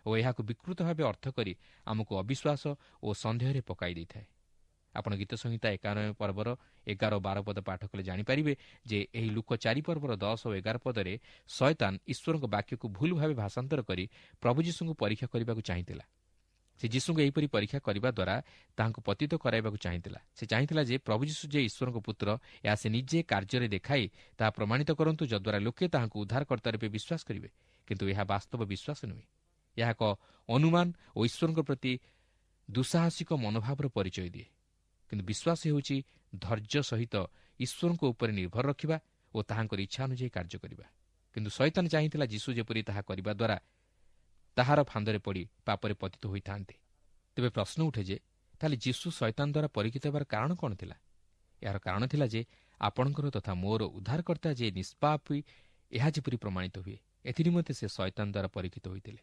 A: ଓ ଏହାକୁ ବିକୃତ ଭାବେ ଅର୍ଥ କରି ଆମକୁ ଅବିଶ୍ୱାସ ଓ ସନ୍ଦେହରେ ପକାଇ ଦେଇଥାଏ। ଆପଣ ଗୀତ ସଂହିତା ଏକାନବେ ପର୍ବର ଏଗାର ବାର ପଦ ପାଠ କଲେ ଜାଣିପାରିବେ ଯେ ଏହି ଲୁକ ଚାରି ପର୍ବର ଦଶ ଓ ଏଗାର ପଦରେ ଶୟତାନ ଈଶ୍ୱରଙ୍କ ବାକ୍ୟକୁ ଭୁଲ ଭାବେ ଭାଷାନ୍ତର କରି ପ୍ରଭୁ ଯୀଶୁଙ୍କୁ ପରୀକ୍ଷା କରିବାକୁ ଚାହିଁଥିଲା। ସେ ଯୀଶୁଙ୍କୁ ଏହିପରି ପରୀକ୍ଷା କରିବା ଦ୍ୱାରା ତାହାଙ୍କୁ ପତିତ କରାଇବାକୁ ଚାହିଁଥିଲା। ସେ ଚାହିଁଥିଲା ଯେ ପ୍ରଭୁ ଯୀଶୁ ଯେ ଈଶ୍ୱରଙ୍କ ପୁତ୍ର, ଏହା ସେ ନିଜେ କାର୍ଯ୍ୟରେ ଦେଖାଇ ତାହା ପ୍ରମାଣିତ କରନ୍ତୁ, ଯଦ୍ୱାରା ଲୋକେ ତାହାଙ୍କୁ ଉଦ୍ଧାରକର୍ତ୍ତା ରୂପେ ବିଶ୍ୱାସ କରିବେ। କିନ୍ତୁ ଏହା ବାସ୍ତବ ବିଶ୍ୱାସ ନୁହେଁ। ଏହା ଏକ ଅନୁମାନ ଓ ଈଶ୍ୱରଙ୍କ ପ୍ରତି ଦୁଃସାହସିକ ମନୋଭାବର ପରିଚୟ ଦିଏ। କିନ୍ତୁ ବିଶ୍ୱାସ ହେଉଛି ଧୈର୍ଯ୍ୟ ସହିତ ଈଶ୍ୱରଙ୍କ ଉପରେ ନିର୍ଭର ରଖିବା ଓ ତାହାଙ୍କର ଇଚ୍ଛା ଅନୁଯାୟୀ କାର୍ଯ୍ୟ କରିବା। କିନ୍ତୁ ଶୟତାନ ଚାହିଁଥିଲା ଯୀଶୁ ଯେପରି ତାହା କରିବା ଦ୍ୱାରା ତାହାର ଫାନ୍ଦରେ ପଡ଼ି ପାପରେ ପତିତ ହୋଇଥାନ୍ତେ। ତେବେ ପ୍ରଶ୍ନ ଉଠେ ଯେ ତାହେଲେ ଯୀଶୁ ଶୟତାନ ଦ୍ୱାରା ପରୀକ୍ଷିତ ହେବାର କାରଣ କ'ଣ ଥିଲା? ଏହାର କାରଣ ଥିଲା ଯେ ଆପଣଙ୍କର ତଥା ମୋର ଉଦ୍ଧାରକର୍ତ୍ତା ଯେ ନିଷ୍ପାପୀ, ଏହା ଯେପରି ପ୍ରମାଣିତ ହୁଏ, ଏଥିନିମନ୍ତେ ସେ ଶୟତାନ ଦ୍ୱାରା ପରୀକ୍ଷିତ ହୋଇଥିଲେ।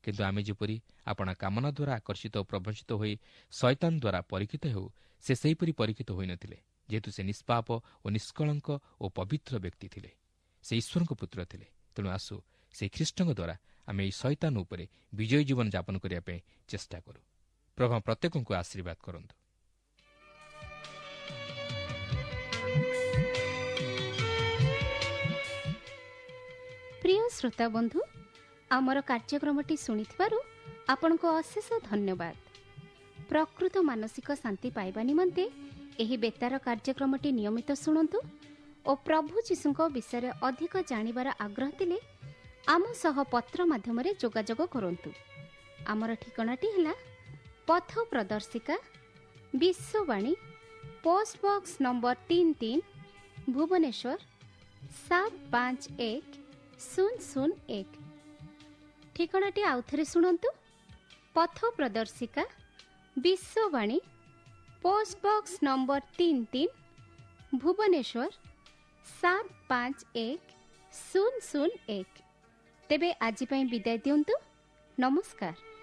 A: କିନ୍ତୁ ଆମେ ଯେପରି ଆପଣା କାମନା ଦ୍ୱାରା ଆକର୍ଷିତ ଓ ପ୍ରବଞ୍ଚିତ ହୋଇ ଶୟତାନ ଦ୍ୱାରା ପରୀକ୍ଷିତ ହେଉ, ସେ ସେହିପରି ପରୀକ୍ଷିତ ହୋଇନଥିଲେ, ଯେହେତୁ ସେ ନିଷ୍ପାପ ଓ ନିଷ୍କଳଙ୍କ ଓ ପବିତ୍ର ବ୍ୟକ୍ତି ଥିଲେ। ସେ ଈଶ୍ୱରଙ୍କ ପୁତ୍ର ଥିଲେ। ତେଣୁ ଆସୁ ସେହି ଖ୍ରୀଷ୍ଟଙ୍କ ଦ୍ୱାରା ଆମେ ଏହି ଶୟତାନ ଉପରେ ବିଜୟୀ ଜୀବନ ଯାପନ କରିବା ପାଇଁ ଚେଷ୍ଟା କରୁ। ପ୍ରଭୁ ପ୍ରତ୍ୟେକଙ୍କୁ ଆଶୀର୍ବାଦ କରନ୍ତୁ।
C: ପ୍ରିୟ ଶ୍ରୋତା ବନ୍ଧୁ, ଆମର କାର୍ଯ୍ୟକ୍ରମଟି ଶୁଣିଥିବାରୁ ଆପଣଙ୍କୁ ଅଶେଷ ଧନ୍ୟବାଦ। ପ୍ରକୃତ ମାନସିକ ଶାନ୍ତି ପାଇବା ନିମନ୍ତେ ଏହି ବେତାର କାର୍ଯ୍ୟକ୍ରମଟି ନିୟମିତ ଶୁଣନ୍ତୁ ଓ ପ୍ରଭୁ ଯୀଶୁଙ୍କ ବିଷୟରେ ଅଧିକ ଜାଣିବାର ଆଗ୍ରହ ଥିଲେ ଆମ ସହ ପତ୍ର ମାଧ୍ୟମରେ ଯୋଗାଯୋଗ କରନ୍ତୁ। ଆମର ଠିକଣାଟି ହେଲା ପଥ ପ୍ରଦର୍ଶିକା, ବିଶ୍ୱବାଣୀ, ପୋଷ୍ଟ ବକ୍ସ ନମ୍ବର ତିନି ତିନି, ଭୁବନେଶ୍ୱର ସାତ ପାଞ୍ଚ ଏକ ଶୂନ ଶୂନ ଏକ। ଠିକଣାଟି ଆଉଥରେ ଶୁଣନ୍ତୁ: ପଥ ପ୍ରଦର୍ଶିକା, ବିଶ୍ୱବାଣୀ, ପୋଷ୍ଟ ବକ୍ସ ନମ୍ବର ତିନି ତିନି, ଭୁବନେଶ୍ୱର ସାତ ପାଞ୍ଚ ଏକ ଶୂନ ଶୂନ ଏକ। ତେବେ ଆଜି ପାଇଁ ବିଦାୟ ଦିଅନ୍ତୁ। ନମସ୍କାର।